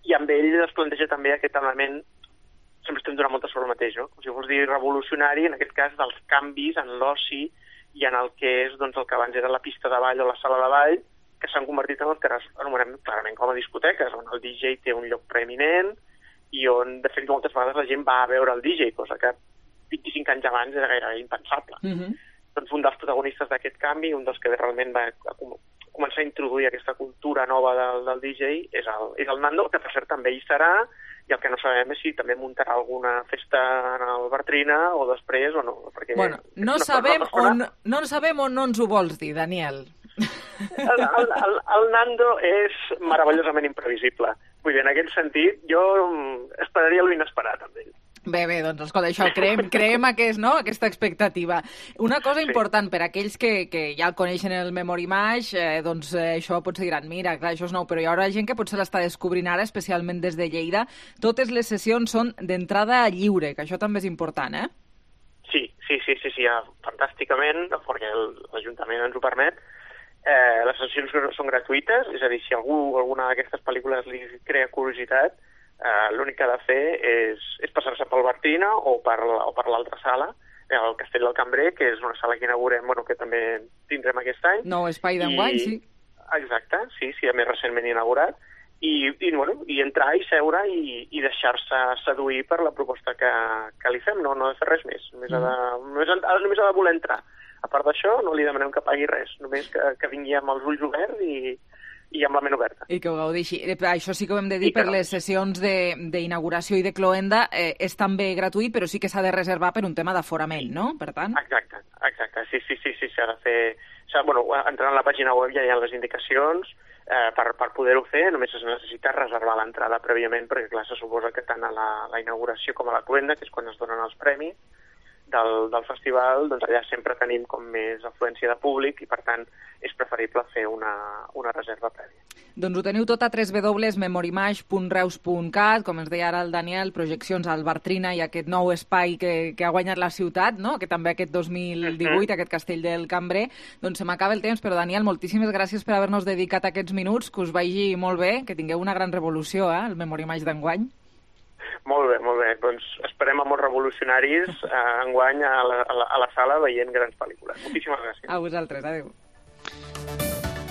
i amb ell es planteja també aquest element, sempre estem donant moltes sobre el mateix, no? Com si fos dir revolucionari, en aquest cas dels canvis en l'oci i en el que és el que abans era la pista de ball o la sala de ball, que s'han convertit en el que anomenem clarament com a discoteques, on el DJ té un lloc preeminent i on, de fet, moltes vegades la gent va a veure el DJ, cosa que 25 anys abans era gairebé impensable. Doncs un dels protagonistes d'aquest canvi, un dels que realment va començar a introduir aquesta cultura nova del DJ, és el Nando, que per cert també hi serà, i el que no sabem és si també muntarà alguna festa en el Bartrina o després o no. Perquè no sabem o no ens ho vols dir, Daniel? El Nando és meravellosament imprevisible. Vull dir, en aquest sentit, jo esperaria l'inesperat amb ell. Bé, doncs escolta, això, creem aquesta expectativa. Una cosa important per a aquells que ja el coneixen el Memory Mash, doncs això potser diran, mira, clar, això és nou, però hi haurà gent que potser l'està descobrint ara, especialment des de Lleida. Totes les sessions són d'entrada lliure, que això també és important, eh? Sí, fantàsticament, perquè l'Ajuntament ens ho permet. Les sessions són gratuïtes, és a dir, si alguna d'aquestes pel·lícules li crea curiositat, l'únic que ha de fer és passar-se pel Bartrina o per l'altra sala, el Castell del Cambrer, que és una sala que inaugurem, que també tindrem aquest any. Nou espai d'enguany, sí. Exacte, sí, a més recentment inaugurat. I entrar i seure i deixar-se seduir per la proposta que li fem, no ha de fer res més, només ha de voler entrar. A part d'això, no li demanem que pagui res, només que vingui amb els ulls oberts i amb la ment oberta. I que ho gaudeixi. Això sí que ho hem de dir per les sessions d'inauguració i de cloenda, és també gratuït, però sí que s'ha de reservar per un tema d'aforament, no? Per tant... Exacte. Sí, s'ha de fer... Entrant a la pàgina web ja hi ha les indicacions per poder-ho fer, només es necessita reservar l'entrada prèviament, perquè clar, se suposa que tant a la inauguració com a la cloenda, que és quan es donen els premis del festival, doncs allà sempre tenim com més afluència de públic i per tant és preferible fer una reserva prèvia. Doncs ho teniu tot a www.memorymash.reus.cat, com ens deia ara el Daniel, projeccions al Bartrina i aquest nou espai que ha guanyat la ciutat, no? Que també aquest 2018, aquest Castell del Cambrer. Doncs se m'acaba el temps, però Daniel, moltíssimes gràcies per haver-nos dedicat aquests minuts, que us vagi molt bé, que tingueu una gran revolució, el Memory Mash d'enguany. Molt bé. Doncs esperem a molts revolucionaris enguany a la sala veient grans pel·lícules. Moltíssimes gràcies. A vosaltres, adéu.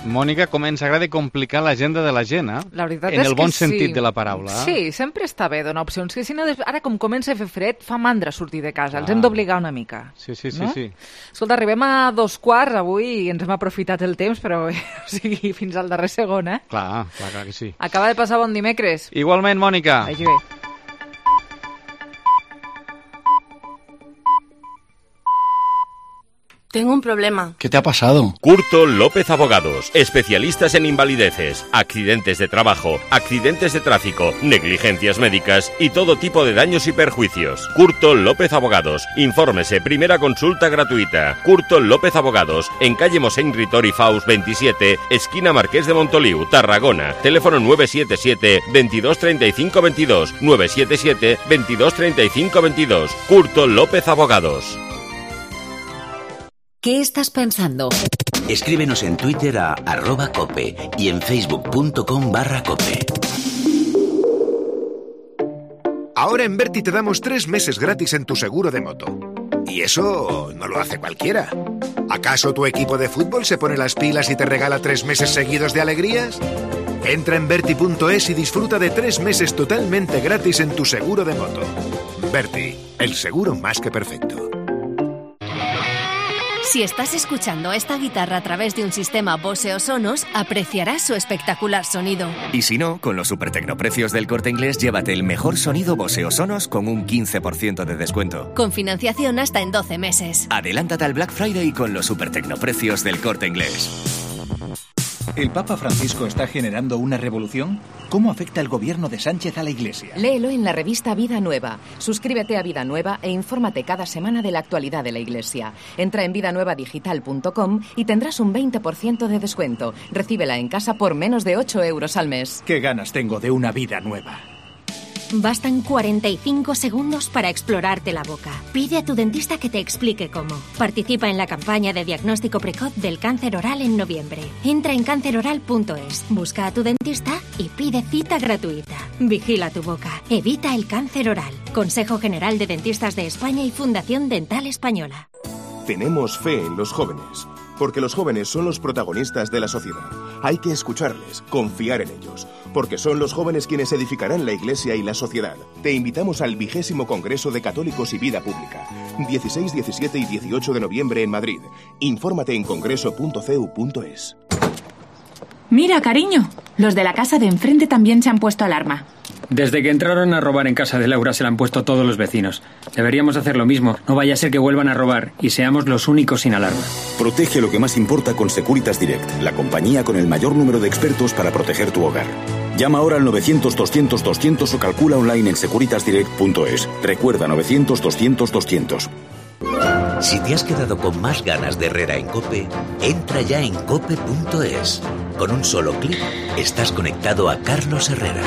Mònica, com ens agrada complicar l'agenda de la gent, La veritat en el bon sentit de la paraula. Sí, sempre està bé donar opcions, que si no, ara com comença a fer fred, fa mandra sortir de casa, els hem d'obligar una mica. Sí. Escolta, arribem a 2:15 avui i ens hem aprofitat el temps, però fins al darrer segon, eh? Clar que sí. Acaba de passar bon dimecres. Igualment, Mònica. Vagi bé. Tengo un problema. ¿Qué te ha pasado? Curto López Abogados, especialistas en invalideces, accidentes de trabajo, accidentes de tráfico, negligencias médicas y todo tipo de daños y perjuicios. Curto López Abogados, infórmese, primera consulta gratuita. Curto López Abogados, en calle Mossèn Ritori Faus 27, esquina Marqués de Montoliu, Tarragona. Teléfono 977 22 35 22, 977 22 35 22. Curto López Abogados. ¿Qué estás pensando? Escríbenos en Twitter a @cope y en facebook.com/cope. Ahora en Berti te damos 3 meses gratis en tu seguro de moto. Y eso no lo hace cualquiera. ¿Acaso tu equipo de fútbol se pone las pilas y te regala 3 meses seguidos de alegrías? Entra en Berti.es y disfruta de 3 meses totalmente gratis en tu seguro de moto. Berti, el seguro más que perfecto. Si estás escuchando esta guitarra a través de un sistema Bose o Sonos, apreciarás su espectacular sonido. Y si no, con los supertecnoprecios del Corte Inglés, llévate el mejor sonido Bose o Sonos con un 15% de descuento. Con financiación hasta en 12 meses. Adelántate al Black Friday con los supertecnoprecios del Corte Inglés. ¿El Papa Francisco está generando una revolución? ¿Cómo afecta el gobierno de Sánchez a la Iglesia? Léelo en la revista Vida Nueva. Suscríbete a Vida Nueva e infórmate cada semana de la actualidad de la Iglesia. Entra en vidanuevadigital.com y tendrás un 20% de descuento. Recíbela en casa por menos de 8 euros al mes. ¡Qué ganas tengo de una vida nueva! Bastan 45 segundos para explorarte la boca. Pide a tu dentista que te explique cómo. Participa en la campaña de diagnóstico precoz del cáncer oral en noviembre. Entra en canceroral.es, busca a tu dentista y pide cita gratuita. Vigila tu boca. Evita el cáncer oral. Consejo General de Dentistas de España y Fundación Dental Española. Tenemos fe en los jóvenes, porque los jóvenes son los protagonistas de la sociedad. Hay que escucharles, confiar en ellos, porque son los jóvenes quienes edificarán la Iglesia y la sociedad. Te invitamos al 20º Congreso de Católicos y Vida Pública, 16, 17 y 18 de noviembre en Madrid. Infórmate en congreso.cu.es. Mira, cariño, los de la casa de enfrente también se han puesto alarma. Desde que entraron a robar en casa de Laura se la han puesto todos los vecinos. Deberíamos hacer lo mismo. No vaya a ser que vuelvan a robar y seamos los únicos sin alarma. Protege lo que más importa con Securitas Direct, la compañía con el mayor número de expertos para proteger tu hogar. Llama ahora al 900-200-200 o calcula online en securitasdirect.es. Recuerda, 900-200-200. Si te has quedado con más ganas de Herrera en COPE, entra ya en cope.es. Con un solo clic estás conectado a Carlos Herrera.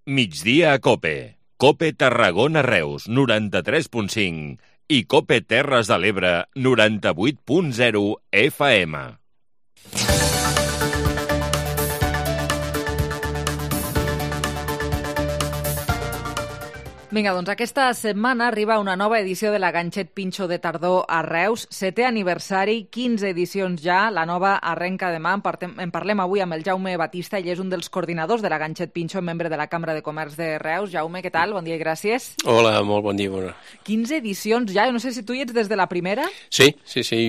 Migdia a COPE. COPE Tarragona Reus, 93.5 i COPE Terres de l'Ebre, 98.0 FM. Vinga, doncs aquesta setmana arriba una nova edició de la Ganxet Pinxo de tardor a Reus. 7è aniversari, 15 edicions ja, la nova arrenca demà. En parlem avui amb el Jaume Batista, ell és un dels coordinadors de la Ganxet Pinxo, membre de la Cambra de Comerç de Reus. Jaume, què tal? Bon dia i gràcies. Hola, molt bon dia. Bona. 15 edicions ja, no sé si tu hi ets des de la primera? Sí,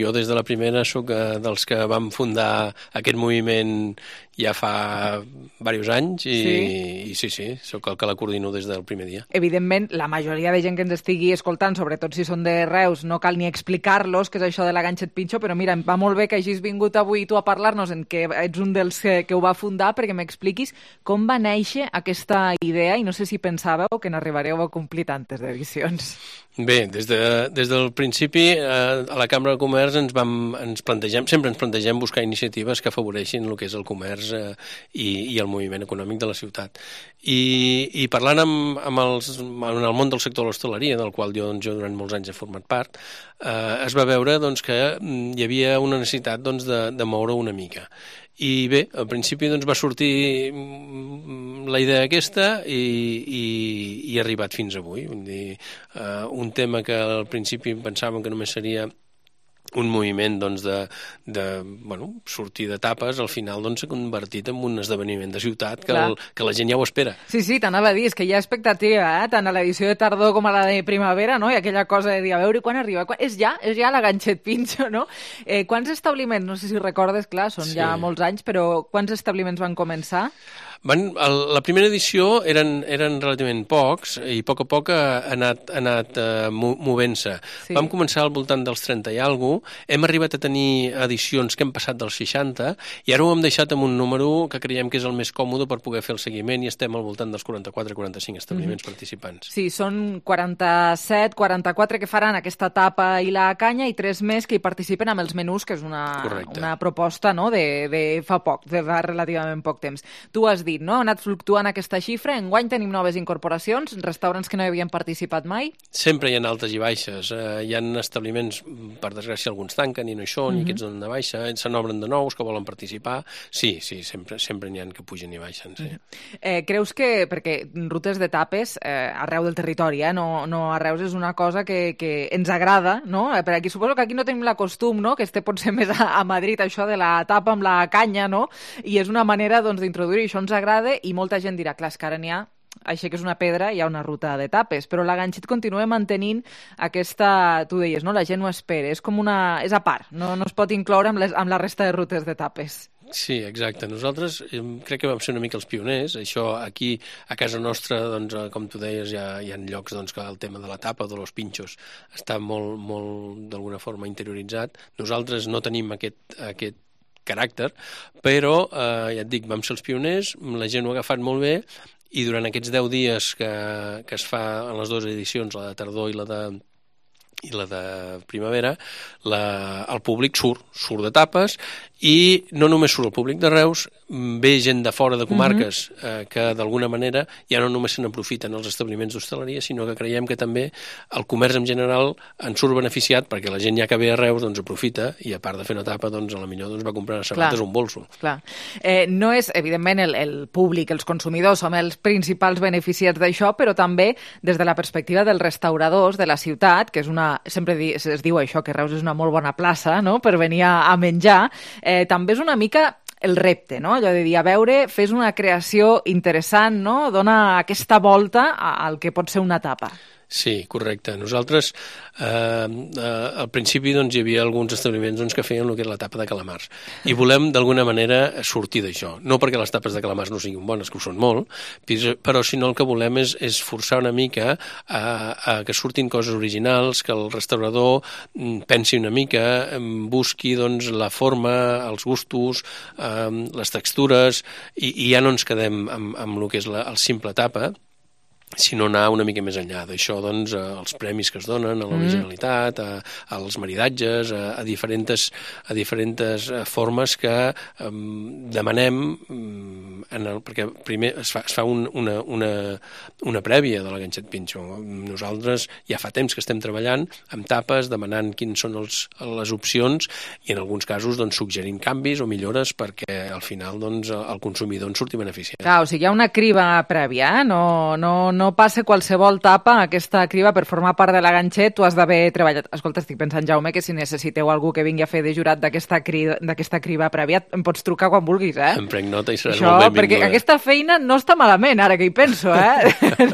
jo des de la primera sóc dels que vam fundar aquest moviment ja fa diversos anys i sí, sóc el que la coordino des del primer dia. Evidentment, la majoria de gent que ens estigui escoltant, sobretot si són de Reus, no cal ni explicar-los què és això de la Ganxet Pinxo, però mira, em va molt bé que hagis vingut avui tu a parlar-nos, en què ets un dels que ho va fundar, perquè m'expliquis com va néixer aquesta idea i no sé si pensàveu que n'arribareu a complir tantes edicions. Bé, des del principi a la Cambra de Comerç sempre ens plantegem buscar iniciatives que afavoreixin el que és el comerç i el moviment econòmic de la ciutat. I parlant en el món del sector de l'hostaleria, del qual jo durant molts anys he format part, es va veure que hi havia una necessitat de moure una mica. I bé, al principi va sortir la idea aquesta i ha arribat fins avui. Vull dir, un tema que al principi pensàvem que només seria un moviment de sortir d'etapes, al final s'ha convertit en un esdeveniment de ciutat que la gent ja ho espera. Sí, t'anava a dir, és que hi ha expectativa, tant a l'edició de tardor com a la de primavera, no? I aquella cosa de dir, a veure quan arriba. És ja la Ganxet Pinxo, no? Quants establiments, no sé si recordes, clar, són ja molts anys, però quants establiments van començar? La primera edició eren relativament pocs i a poc ha anat movent-se. Sí. Vam començar al voltant dels 30 i alguna cosa, hem arribat a tenir edicions que hem passat dels 60 i ara ho hem deixat amb un número que creiem que és el més còmode per poder fer el seguiment i estem al voltant dels 44-45 establiments participants. Sí, són 47, 44 que faran aquesta tapa i la canya i 3 més que hi participen amb els menús, que és una proposta, no?, de fa poc, de fa relativament poc temps. Tu has dit, no?, ha anat fluctuant aquesta xifra, enguany tenim noves incorporacions, restaurants que no hi havien participat mai? Sempre hi ha altes i baixes, hi ha establiments, per desgràcia alguns tanquen i no hi són, i aquests donen de baixa, se n'obren de nous que volen participar, sí, sempre n'hi ha que pugen i baixen, sí. Creus que, perquè rutes de tapes arreu del territori, no a Reus és una cosa que ens agrada, no? Per aquí suposo que aquí no tenim la costum, no?, que potser més a Madrid, això de la tapa amb la canya, no?, i és una manera, doncs, d'introduir-hi, això ens agrada, i molta gent dirà, clar, és que ara n'hi ha, així que és una pedra, hi ha una ruta de tapes, però la Ganxet continua mantenint aquesta, tu deies, no?, la gent ho espera, és com és a part, no es pot incloure amb la resta de rutes de tapes. Sí, exacte. Nosaltres crec que vam ser una mica els pioners. Això aquí, a casa nostra, doncs, com tu deies, hi ha llocs doncs, que el tema de la tapa o de los pinxos està molt d'alguna forma interioritzat. Nosaltres no tenim aquest caràcter, però, ja et dic, vam ser els pioners, la gent ho ha agafat molt bé i durant aquests 10 dies que es fa en les dues edicions, la de tardor i la de primavera, el públic surt de tapes i no només surt el públic de Reus, ve gent de fora de comarques que d'alguna manera ja no només se n'aprofiten els establiments d'hostaleria, sinó que creiem que també el comerç en general en surt beneficiat perquè la gent ja que ve a Reus doncs aprofita i a part de fer una tapa doncs a la millor doncs va comprar unes sabates o un bolso. Clar. No és, evidentment, el públic, els consumidors som els principals beneficiats d'això, però també des de la perspectiva dels restauradors de la ciutat, que és sempre es diu això, que Reus és una molt bona plaça, no?, per venir a menjar, també és una mica el repte, no?, allò de dir, a veure, fes una creació interessant, no?, dona aquesta volta al que pot ser una tapa. Sí, correcte. Nosaltres, al principi doncs, hi havia alguns establiments doncs, que feien el que és la tapa de calamars i volem d'alguna manera sortir d'això. No perquè les tapes de calamars no siguin bones, que ho són molt, però sinó el que volem és forçar una mica a que surtin coses originals, que el restaurador pensi una mica, busqui doncs, la forma, els gustos, les textures, i ja no ens quedem amb el que és el simple tapa, sinó anar una mica més enllà d'això, doncs, els premis que es donen, a l'originalitat, als maridatges, a diferents formes que demanem, perquè primer es fa una prèvia de la Ganxet Pinxo. Nosaltres ja fa temps que estem treballant amb tapes, demanant quines són les opcions i en alguns casos doncs, suggerint canvis o millores perquè al final doncs, el consumidor en surti beneficiat. Clar, o sigui, hi ha una criba prèvia, no passa qualsevol tapa aquesta criba per formar part de la Ganxet, tu has d'haver treballat. Escolta, estic pensant, Jaume, que si necessiteu algú que vingui a fer de jurat d'aquesta criba prèvia, em pots trucar quan vulguis, Em prenc nota i seràs molt benvinguda. Perquè aquesta feina no està malament, ara que hi penso,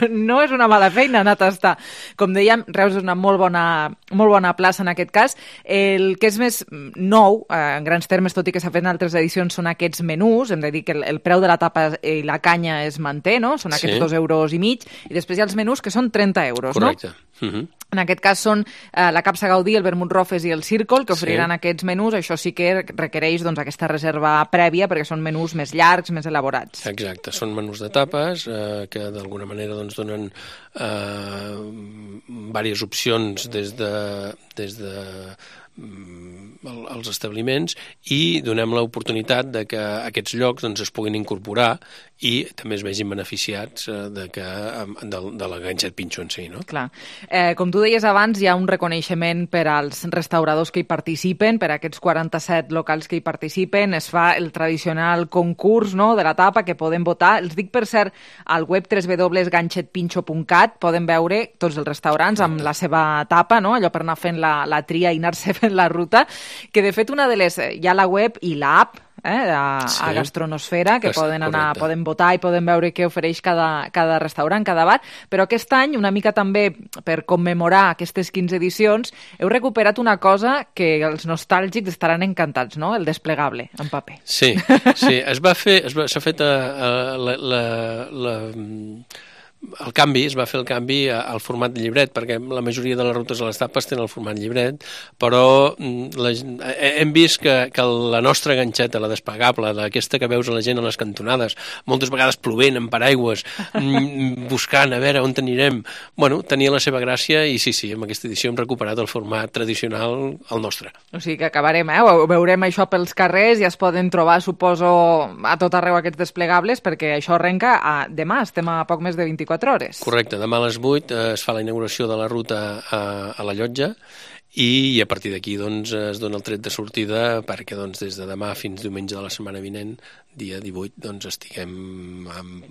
No és una mala feina anar a tastar. Com dèiem, Reus és una molt bona plaça en aquest cas. El que és més nou, en grans termes, tot i que s'ha fet en altres edicions, són aquests menús. Hem de dir que el preu de la tapa i la canya es manté, no? Són aquests 2,5 euros, i després hi ha els menús que són 30 euros, correcte. No? En aquest cas són la Capsa Gaudí, el Vermut Rofes i el Círcol, que oferiran aquests menús. Això sí que requereix doncs, aquesta reserva prèvia, perquè són menús més llargs, més elaborats. Exacte, són menús de tapes que d'alguna manera doncs, donen diverses opcions des de els establiments i donem l'oportunitat de que aquests llocs doncs, es puguin incorporar i també es vegin beneficiats de la Ganxet Pinxo en si. No? Clar. Com tu deies abans, hi ha un reconeixement per als restauradors que hi participen, per aquests 47 locals que hi participen. Es fa el tradicional concurs, no?, de la tapa que poden votar. Els dic, per cert, al web www.ganxetpinxo.cat poden veure tots els restaurants amb la seva tapa, no?, allò per anar fent la tria i anar-se fent la ruta, que de fet una de les... Hi ha la web i l'app, a Gastronosfera, que poden anar, poden votar i poden veure què ofereix cada restaurant, cada bar, però aquest any, una mica també per commemorar aquestes 15 edicions, heu recuperat una cosa que els nostàlgics estaran encantats, no? El desplegable en paper. Sí, s'ha fet es va fer el canvi al format de llibret, perquè la majoria de les rutes a les tapes tenen el format llibret, però hem vist que la nostra ganxeta, la desplegable, aquesta que veus a la gent a les cantonades, moltes vegades plovent, amb paraigües, buscant a veure on anirem, bueno, tenia la seva gràcia i sí, amb aquesta edició hem recuperat el format tradicional, el nostre. O sigui que acabarem, ho veurem això pels carrers i es poden trobar, suposo, a tot arreu aquests desplegables, perquè això arrenca demà, estem a poc més de 24 hores. Correcte, demà a les 8 es fa la inauguració de la ruta a la Llotja i a partir d'aquí doncs, es dona el tret de sortida perquè doncs, des de demà fins diumenge de la setmana vinent, dia 18, doncs, estiguem amb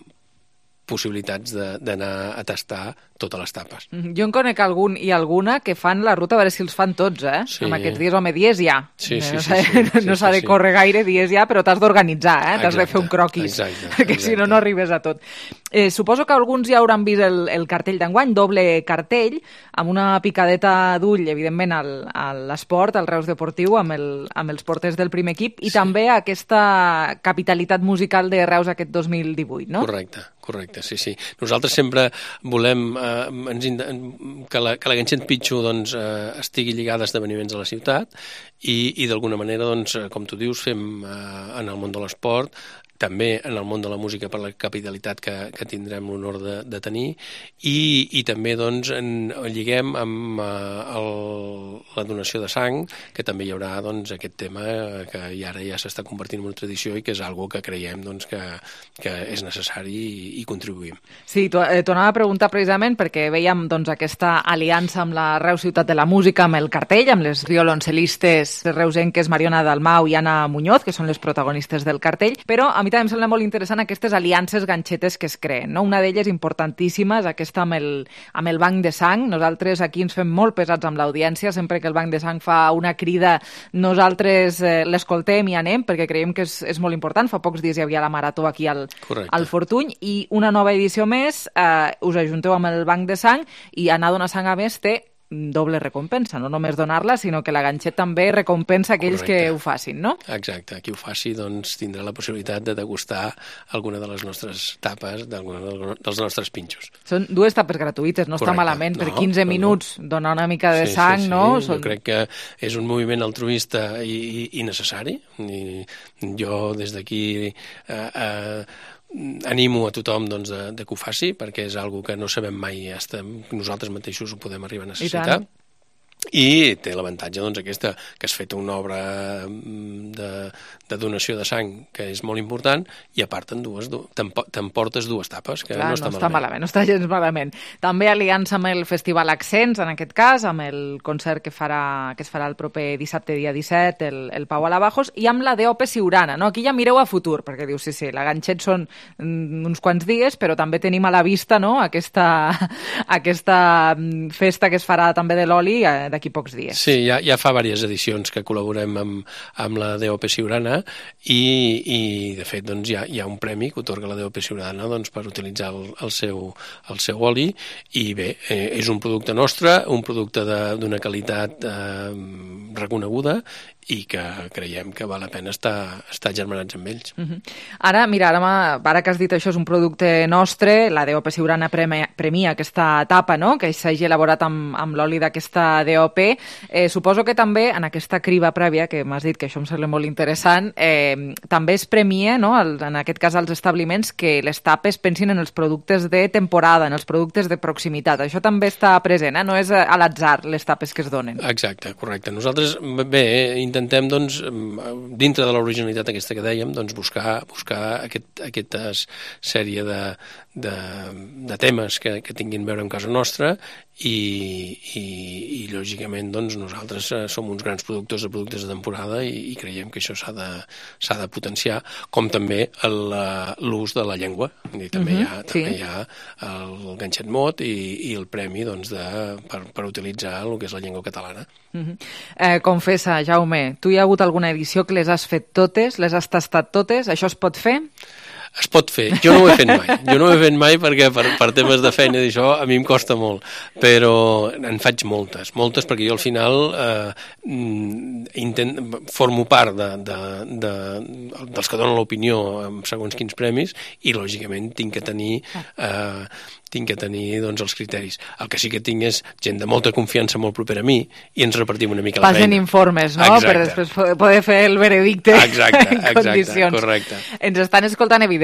possibilitats d'anar a tastar totes les tapes. Jo en conec algun i alguna que fan la ruta, a veure si els fan tots, Sí. Amb aquests dies, home, dies ja. Sí. No s'ha de córrer gaire, dies ja, però t'has d'organitzar, t'has de fer un croquis, perquè si no arribes a tot. Suposo que alguns ja hauran vist el cartell d'enguany, doble cartell, amb una picadeta d'ull, evidentment, a l'esport, al Reus Deportiu, amb els porters del primer equip, i també aquesta capitalitat musical de Reus aquest 2018, no? Correcte, sí. Nosaltres sempre volem que la ganxeta Pitxo doncs, estigui lligada a esdeveniments de la ciutat i d'alguna manera, doncs, com tu dius, fem en el món de l'esport, també en el món de la música per la capitalitat que tindrem l'honor de tenir i també doncs, lliguem amb la donació de sang, que també hi haurà doncs, aquest tema que ara ja s'està convertint en una tradició i que és algo que creiem doncs, que és necessari i contribuïm. Sí, t'anava a preguntar precisament perquè veiem doncs, aquesta aliança amb la Reus Ciutat de la Música, amb el cartell, amb les violoncelistes reusenques Mariona Dalmau i Anna Muñoz, que són les protagonistes del cartell, però a mi també em sembla molt interessant aquestes aliances ganxetes que es creen, no? Una d'elles importantíssima és aquesta amb el banc de sang. Nosaltres aquí ens fem molt pesats amb l'audiència, sempre que el banc de sang fa una crida nosaltres l'escoltem i anem, perquè creiem que és molt important. Fa pocs dies hi havia la marató aquí al Fortuny i una nova edició més, us ajunteu amb el banc de sang i anar a donar sang a més té doble recompensa, no només donar-la, sinó que la ganxeta també recompensa aquells que ho facin, no? Exacte, qui ho faci doncs, tindrà la possibilitat de degustar alguna de les nostres tapes, dels nostres pinxos. Són 2 tapes gratuïtes, no està malament, per 15 minuts donar una mica de sang, no? Jo crec que és un moviment altruista i necessari. Jo des d'aquí animo a tothom doncs, de que ho faci, perquè és una cosa que no sabem mai, nosaltres mateixos ho podem arribar a necessitar. I té l'avantatge doncs, aquesta, que has fet una obra de donació de sang que és molt important i a part t'emportes 2 tapes, que no està malament. No està gens malament. També aliança amb el Festival Accents, en aquest cas, amb el concert que es farà el proper dissabte, dia 17, el Pau Alabajos, i amb la DOP Siurana. No? Aquí ja mireu a futur, perquè dius, sí, la ganxet són uns quants dies, però també tenim a la vista, no? aquesta festa que es farà també de l'oli d'aquí pocs dies. Sí, ja fa diverses edicions que col·laborem amb la DOP Siurana i de fet doncs, hi ha un premi que otorga la DOP Siurana doncs, per utilitzar el seu oli i bé, és un producte nostre, un producte d'una qualitat reconeguda i que creiem que val la pena estar germanats amb ells. Ara que has dit això, és un producte nostre, la DOP Siurana premia aquesta tapa, no?, que s'hagi elaborat amb l'oli d'aquesta DOP. Suposo que també, en aquesta criba prèvia, que m'has dit que això em sembla molt interessant, també es premia, no?, en aquest cas als establiments, que les tapes pensin en els productes de temporada, en els productes de proximitat. Això també està present, no és a l'atzar les tapes que es donen. Exacte, correcte. Nosaltres, bé, intentem, doncs, dintre de l'originalitat aquesta que dèiem, doncs, buscar aquesta sèrie de temes que tinguin a veure amb casa nostra i lògicament doncs, nosaltres som uns grans productors de productes de temporada i creiem que això s'ha de potenciar, com també l'ús de la llengua. I també hi ha el ganxet mot i el premi doncs, per utilitzar el que és la llengua catalana. Confessa, Jaume, tu hi ha hagut alguna edició que les has fet totes, les has tastat totes, això es pot fer? Es pot fer. Jo no ho he fet mai. Jo no ho he fet mai perquè per temes de feina i això a mi em costa molt. Però en faig moltes perquè jo al final formo part dels que donen l'opinió en segons quins premis i lògicament tinc que tenir doncs, els criteris. El que sí que tinc és gent de molta confiança molt propera a mi i ens repartim una mica la feina. Passen informes, no? Exacte. Per després poder fer el veredicte en condicions. Correcte. Ens estan escoltant, evidentment,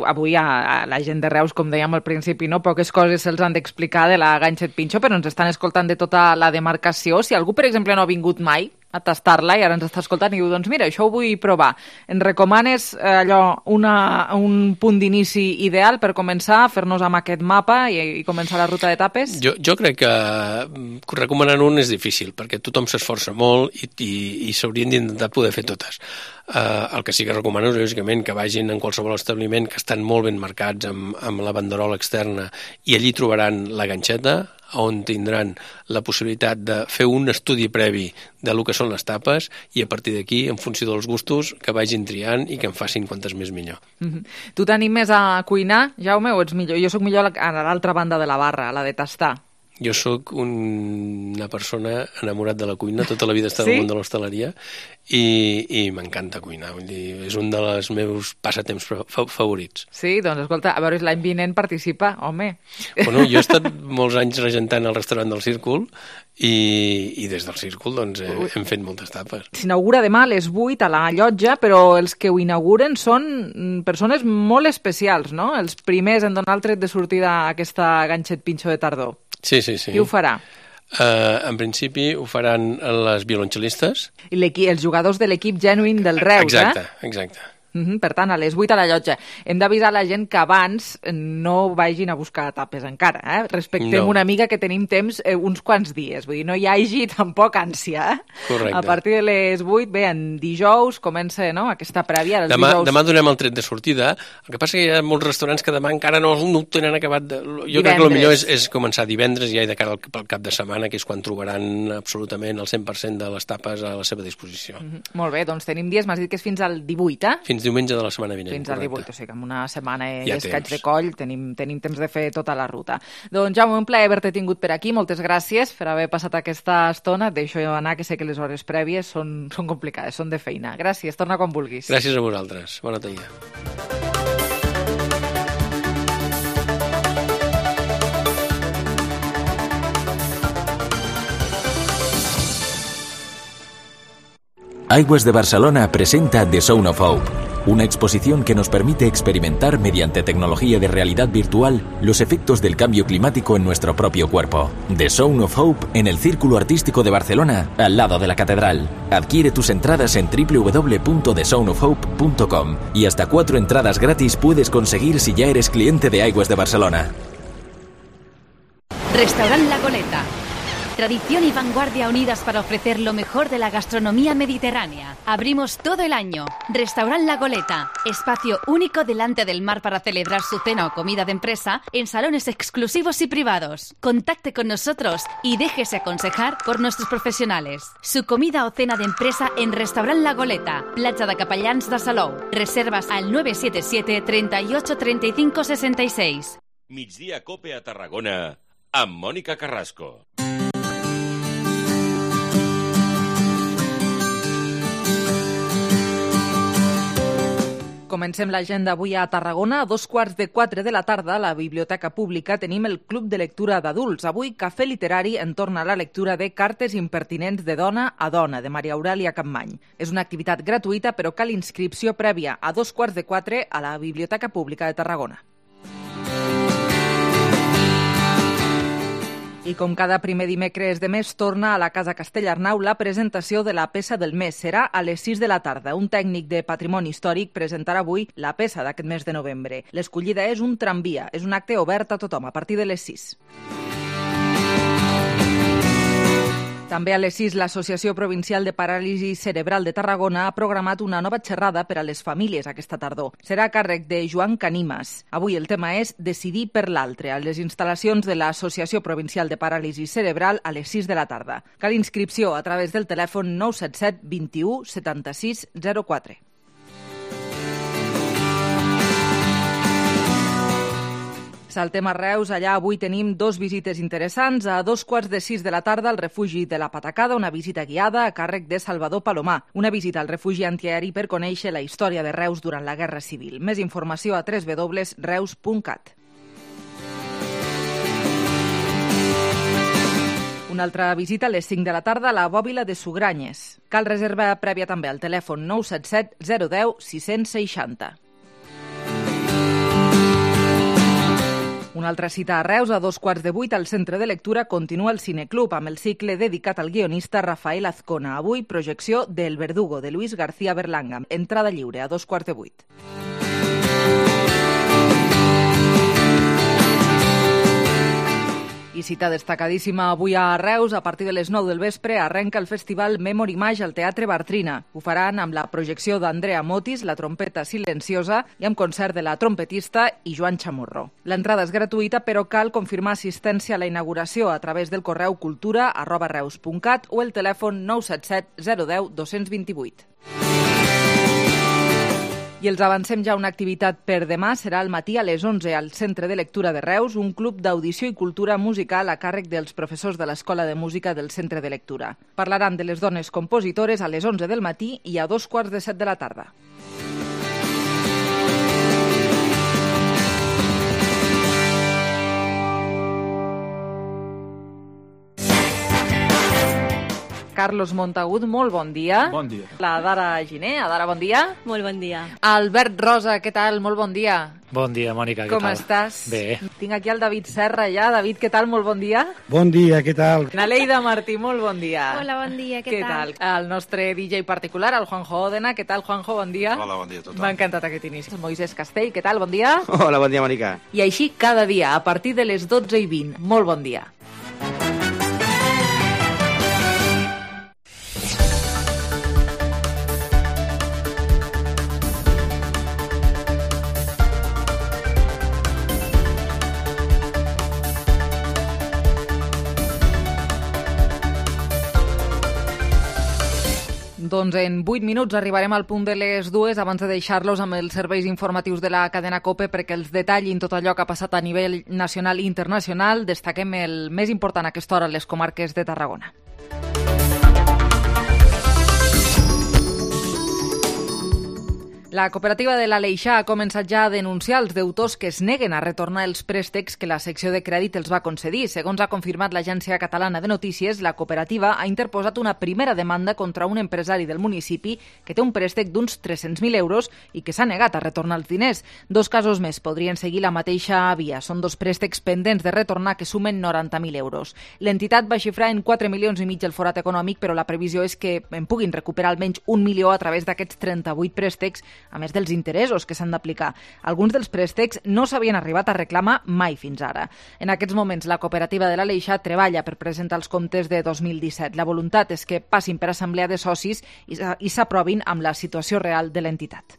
avui a la gent de Reus, com dèiem al principi, no? Poques coses se'ls han d'explicar de la Ganxet Pinxo, però ens estan escoltant de tota la demarcació. Si algú, per exemple, no ha vingut mai a tastar-la i ara ens està escoltant i diu, doncs mira, això ho vull provar. Ens recomanes un punt d'inici ideal per començar a fer-nos amb aquest mapa i començar la ruta d'etapes? Jo crec que recomanant un és difícil, perquè tothom s'esforça molt i s'haurien d'intentar poder fer totes. El que sí que recomano és, lògicament, que vagin en qualsevol establiment que estan molt ben marcats amb la banderola externa i allí trobaran la ganxeta, on tindran la possibilitat de fer un estudi previ de lo que són les tapes i a partir d'aquí, en funció dels gustos, que vagin triant i que en facin quantes més millor. Tu t'animes a cuinar, Jaume, o ets millor? Jo sóc millor a l'altra banda de la barra, a la de tastar. Jo sóc una persona enamorat de la cuina, tota la vida he estat al món de l'hostaleria i m'encanta cuinar, vull dir, és un dels meus passatemps favorits. Sí, doncs escolta, a veure, l'any vinent participa, home. Bueno, jo he estat molts anys regentant el restaurant del Círcul i des del Círcul doncs, hem fet moltes tapes. S'inaugura demà a les 8 a la Llotja, però els que ho inauguren són persones molt especials, no? Els primers en donar el tret de sortida a aquesta Ganxet Pinxo de tardor. Sí. Qui ho farà? En principi ho faran les violoncel·listes. I els jugadors de l'equip Genuine del Reus, Exacte. Per tant, a les 8 a la Llotja. Hem d'avisar la gent que abans no vagin a buscar tapes encara. Respectem una mica que tenim temps uns quants dies. Vull dir, no hi hagi tampoc ànsia. Correcte. A partir de les 8, bé, en dijous comença aquesta prèvia. Demà donem el tret de sortida. El que passa que hi ha molts restaurants que demà encara no ho tenen acabat. Jo crec que el millor és començar divendres ja i de cara al cap de setmana, que és quan trobaran absolutament el 100% de les tapes a la seva disposició. Molt bé, doncs tenim dies, m'has dit que és fins al 18, Fins diumenge de la setmana vinent. Fins al 18, o sigui que en una setmana i escaig de coll tenim temps de fer tota la ruta. Doncs Jaume, un plaer haver-te tingut per aquí, moltes gràcies per haver passat aquesta estona. Et deixo anar, que sé que les hores prèvies són complicades, són de feina. Gràcies, torna quan vulguis. Gràcies a vosaltres, bona tarda. Aigües de Barcelona presenta The Zone of Hope, una exposición que nos permite experimentar mediante tecnología de realidad virtual los efectos del cambio climático en nuestro propio cuerpo. The Zone of Hope en el Círculo Artístico de Barcelona, al lado de la Catedral. Adquiere tus entradas en www.thezoneofhope.com y hasta 4 entradas gratis puedes conseguir si ya eres cliente de Aigües de Barcelona. Restaurant La Goleta. Tradición y vanguardia unidas para ofrecer lo mejor de la gastronomía mediterránea. Abrimos todo el año. Restaurant La Goleta. Espacio único delante del mar para celebrar su cena o comida de empresa en salones exclusivos y privados. Contacte con nosotros y déjese aconsejar por nuestros profesionales. Su comida o cena de empresa en Restaurant La Goleta. Platja de Capellans de Salou. Reservas al 977 38 35 66. Migdia Cope a Tarragona amb Mònica Carrasco. Comencem l'agenda avui a Tarragona. A 3:15 de la tarda, a la Biblioteca Pública, tenim el Club de Lectura d'Adults. Avui, cafè literari entorn a la lectura de Cartes impertinents de dona a dona, de Maria Aurèlia Capmany. És una activitat gratuïta, però cal inscripció prèvia a 3:15 a la Biblioteca Pública de Tarragona. I com cada primer dimecres de mes, torna a la Casa Castellarnau la presentació de la peça del mes. Serà a les 6 de la tarda. Un tècnic de patrimoni històric presentarà avui la peça d'aquest mes de novembre. L'escollida és un tramvia. És un acte obert a tothom a partir de les 6. També a les 6, l'Associació Provincial de Paràlisi Cerebral de Tarragona ha programat una nova xerrada per a les famílies aquesta tardor. Serà a càrrec de Joan Canimas. Avui el tema és Decidir per l'altre, a les instal·lacions de l'Associació Provincial de Paràlisi Cerebral a les 6 de la tarda. Cal inscripció a través del telèfon 977 21 76 04. Saltem a Reus, allà avui tenim 2 visites interessants. A 2:15 de la tarda al refugi de la Patacada, una visita guiada a càrrec de Salvador Palomar. Una visita al refugi antiaeri per conèixer la història de Reus durant la Guerra Civil. Més informació a www.reus.cat. Una altra visita a les 5 de la tarda a la Bòbila de Sugranyes. Cal reserva prèvia també al telèfon 977 010 660. Una altra cita a Reus, a 7:15 al Centre de Lectura, continua el Cineclub amb el cicle dedicat al guionista Rafael Azcona. Avui, projecció del Verdugo, de Luis García Berlanga. Entrada lliure, a 7:15. I cita destacadíssima avui a Reus, a partir de les 9 del vespre, arrenca el festival Memory Image al Teatre Bartrina. Ho faran amb la projecció d'Andrea Motis, la trompeta silenciosa, i amb concert de la trompetista i Joan Chamorro. L'entrada és gratuïta, però cal confirmar assistència a la inauguració a través del correu cultura@reus.cat o el telèfon 977 010 228. I els avancem ja una activitat per demà. Serà al matí a les 11 al Centre de Lectura de Reus, un club d'audició i cultura musical a càrrec dels professors de l'Escola de Música del Centre de Lectura. Parlaran de les dones compositores a les 11 del matí i a 7:15 de la tarda. Carlos Montagut, molt bon dia. Bon dia. La Dara Giner, Adara, bon dia. Molt bon dia. Albert Rosa, què tal? Molt bon dia. Bon dia, Mònica, què Com tal? estàs? Bé. Tinc aquí el David Serra ja. David, què tal? Molt bon dia. Bon dia, què tal? Naleida Martí, molt bon dia. Hola, bon dia, què tal? El nostre DJ particular, el Juanjo Òdena. Què tal, Juanjo? Bon dia. Hola, bon dia a tothom. M'ha encantat aquest inici. Moisés Castell, què tal? Bon dia. Hola, bon dia, Mònica. I així cada dia, a partir de les 12:20. Molt bon dia. Doncs en 8 minuts arribarem al punt de les 2 abans de deixar-los amb els serveis informatius de la cadena COPE perquè els detallin tot allò que ha passat a nivell nacional i internacional. Destaquem el més important a aquesta hora a les comarques de Tarragona. La cooperativa de l'Aleixar ha començat ja a denunciar els deutors que es neguen a retornar els préstecs que la secció de crèdit els va concedir. Segons ha confirmat l'Agència Catalana de Notícies, la cooperativa ha interposat una primera demanda contra un empresari del municipi que té un préstec d'uns 300.000 euros i que s'ha negat a retornar els diners. 2 casos més podrien seguir la mateixa via. Són 2 préstecs pendents de retornar que sumen 90.000 euros. L'entitat va xifrar en 4,5 milions el forat econòmic, però la previsió és que en puguin recuperar almenys 1 milió a través d'aquests 38 préstecs, a més dels interessos que s'han d'aplicar. Alguns dels préstecs no s'havien arribat a reclamar mai fins ara. En aquests moments, la cooperativa de l'Aleixar treballa per presentar els comptes de 2017. La voluntat és que passin per assemblea de socis i s'aprovin amb la situació real de l'entitat.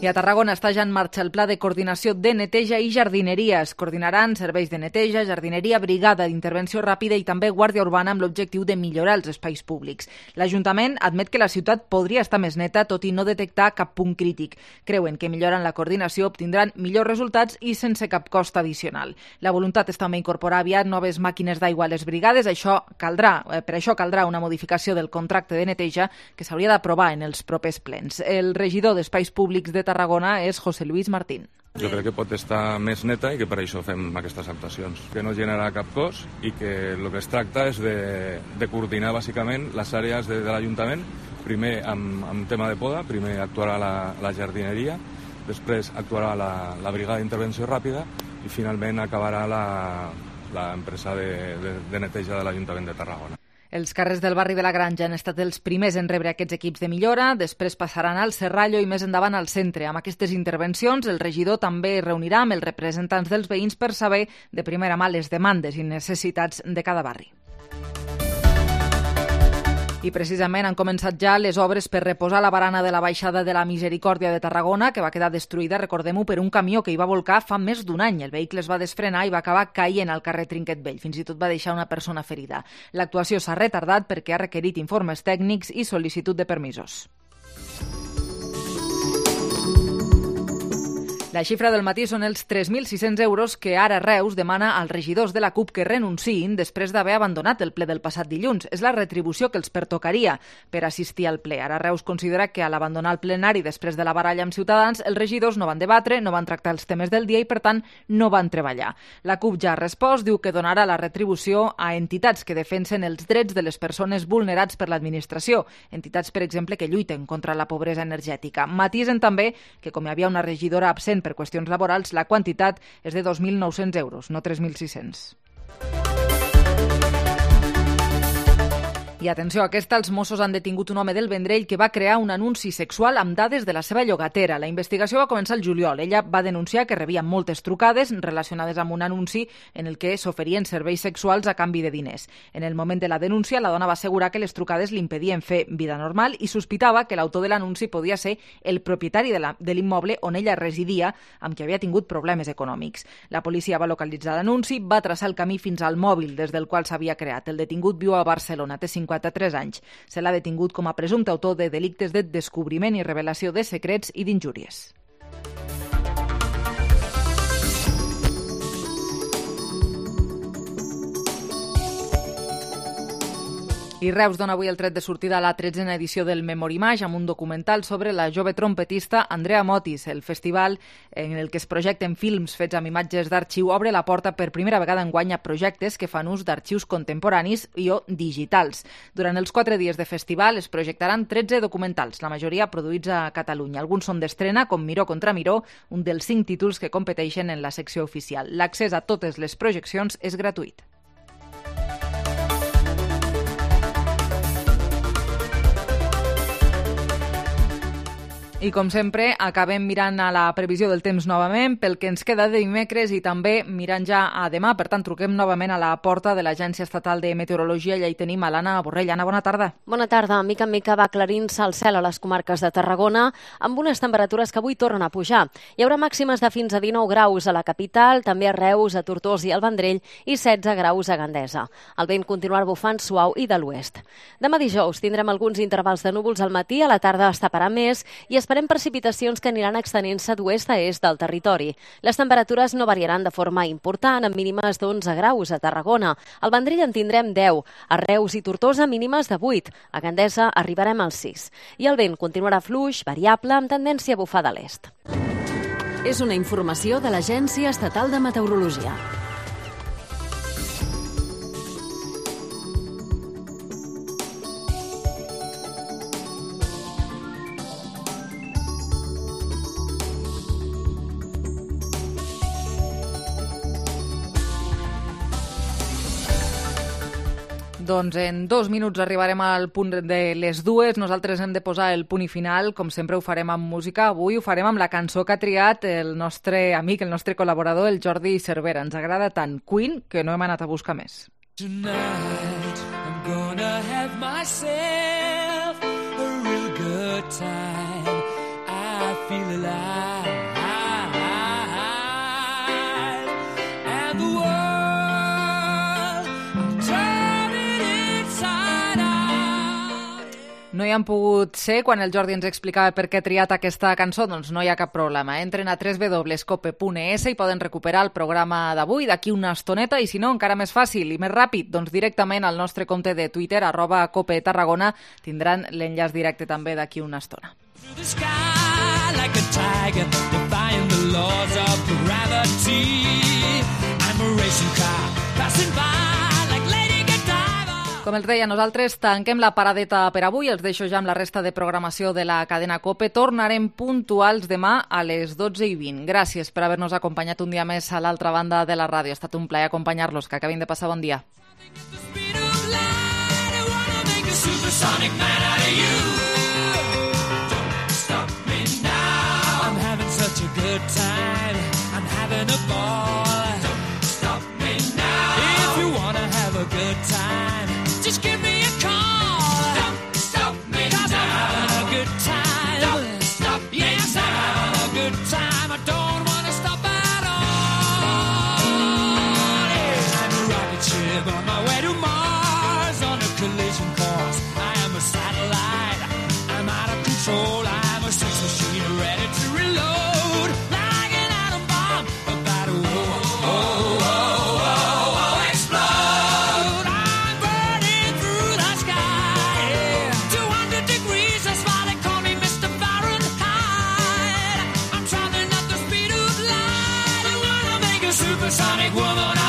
I a Tarragona està ja en marxa el pla de coordinació de neteja i jardineria. Es coordinaran serveis de neteja, jardineria, brigada d'intervenció ràpida i també guàrdia urbana amb l'objectiu de millorar els espais públics. L'Ajuntament admet que la ciutat podria estar més neta, tot i no detectar cap punt crític. Creuen que millorant la coordinació obtindran millors resultats i sense cap cost addicional. La voluntat és també incorporar aviat noves màquines d'aigua a les brigades. Per això caldrà una modificació del contracte de neteja que s'hauria d'aprovar en els propers plens. El regidor d'Espais Públics de Tarragona és José Luis Martín. Jo crec que pot estar més neta i que per això fem aquestes actuacions, que no genera cap cost i que el que es tracta és de coordinar bàsicament les àrees de l'Ajuntament, primer amb tema de poda, primer actuarà la jardineria, després actuarà la brigada d'intervenció ràpida i finalment acabarà l'empresa de neteja de l'Ajuntament de Tarragona. Els carrers del barri de la Granja han estat els primers en rebre aquests equips de millora, després passaran al Serrallo i més endavant al centre. Amb aquestes intervencions, el regidor també es reunirà amb els representants dels veïns per saber de primera mà les demandes i necessitats de cada barri. I precisament han començat ja les obres per reposar la barana de la baixada de la Misericòrdia de Tarragona, que va quedar destruïda, recordem-ho, per un camió que hi va volcar fa més d'un any. El vehicle es va desfrenar i va acabar caient al carrer Trinquet Vell. Fins i tot va deixar una persona ferida. L'actuació s'ha retardat perquè ha requerit informes tècnics i sol·licitud de permisos. La xifra del matí són els 3.600 euros que ara Reus demana als regidors de la CUP que renunciïn després d'haver abandonat el ple del passat dilluns. És la retribució que els pertocaria per assistir al ple. Ara Reus considera que a l'abandonar el plenari després de la baralla amb Ciutadans, els regidors no van debatre, no van tractar els temes del dia i, per tant, no van treballar. La CUP ja ha respost, diu que donarà la retribució a entitats que defensen els drets de les persones vulnerats per l'administració. Entitats, per exemple, que lluiten contra la pobresa energètica. Matisen també que, com hi havia una regidora absent per qüestions laborals, la quantitat és de 2.900 euros, no 3.600. I atenció, aquesta, els Mossos han detingut un home del Vendrell que va crear un anunci sexual amb dades de la seva llogatera. La investigació va començar el juliol. Ella va denunciar que rebia moltes trucades relacionades amb un anunci en el que s'oferien serveis sexuals a canvi de diners. En el moment de la denúncia, la dona va assegurar que les trucades li impedien fer vida normal i sospitava que l'autor de l'anunci podia ser el propietari de l'immoble on ella residia, amb qui havia tingut problemes econòmics. La policia va localitzar l'anunci, va traçar el camí fins al mòbil des del qual s'havia creat. El detingut viu a Barcelona, té 53 anys. Se l'ha detingut com a presumpte autor de delictes de descobriment i revelació de secrets i d'injúries. I Reus dona avui el tret de sortida a la 13a edició del Memorimage amb un documental sobre la jove trompetista Andrea Motis. El festival en el que es projecten films fets amb imatges d'arxiu obre la porta per primera vegada enguany a projectes que fan ús d'arxius contemporanis i o digitals. Durant els 4 dies de festival es projectaran 13 documentals, la majoria produïts a Catalunya. Alguns són d'estrena, com Miró contra Miró, un dels 5 títols que competeixen en la secció oficial. L'accés a totes les projeccions és gratuït. I, com sempre, acabem mirant a la previsió del temps novament, pel que ens queda de dimecres i també mirant ja a demà. Per tant, truquem novament a la porta de l'Agència Estatal de Meteorologia i ja hi tenim a l'Anna Borrell. Anna, bona tarda. Bona tarda. Mica en mica va aclarint-se el cel a les comarques de Tarragona amb unes temperatures que avui tornen a pujar. Hi haurà màximes de fins a 19 graus a la capital, també a Reus, a Tortosa i al Vendrell i 16 graus a Gandesa. El vent continuarà bufant suau i de l'oest. Demà dijous tindrem alguns intervals de núvols al matí, a la tarda es taparà més i esperem precipitacions que aniran extenent-se d'oest a est del territori. Les temperatures no variaran de forma important, amb mínimes d'11 graus a Tarragona. Al Vendrell en tindrem 10, a Reus i Tortosa mínimes de 8, a Gandesa arribarem als 6. I el vent continuarà fluix, variable, amb tendència a bufar de l'est. És una informació de l'Agència Estatal de Meteorologia. Doncs en 2 minuts arribarem al punt de les 2. Nosaltres hem de posar el punt i final. Com sempre ho farem amb música. Avui ho farem amb la cançó que ha triat el nostre amic, el nostre col·laborador, el Jordi Cervera. Ens agrada tant Queen que no hem anat a buscar més. Tonight I'm gonna have myself a real good time. I feel alive. And the world no hi han pogut ser quan el Jordi ens explicava per què ha triat aquesta cançó, doncs no hi ha cap problema. Entren a www.cope.es i poden recuperar el programa d'avui d'aquí una estoneta i si no, encara més fàcil i més ràpid, doncs directament al nostre compte de Twitter, @copetarragona, tindran l'enllaç directe també d'aquí una estona. Com els deia, nosaltres tanquem la paradeta per avui. Els deixo ja amb la resta de programació de la cadena COPE. Tornarem puntuals demà a les 12:20. Gràcies per haver-nos acompanyat un dia més a l'altra banda de la ràdio. Ha estat un plaer acompanyar-los. Que acabin de passar bon dia. Supersonic man out of you. Don't stop me now. I'm having such a good time. I'm having a ball. Don't stop me now. If you wanna have a good time, just give me a call. Don't stop me now. 'Cause I'm having a good time. Don't stop me now. Yes, I'm having a good time. I don't wanna stop at all. Yeah, I'm a rocket ship on my way to Mars on a collision course. Satellite, I'm out of control. I'm a sex machine ready to reload, like an atom bomb about to explode. I'm burning through the sky, 200 degrees, that's why they call me Mr. Fahrenheit. I'm traveling at the speed of light. I wanna make a supersonic woman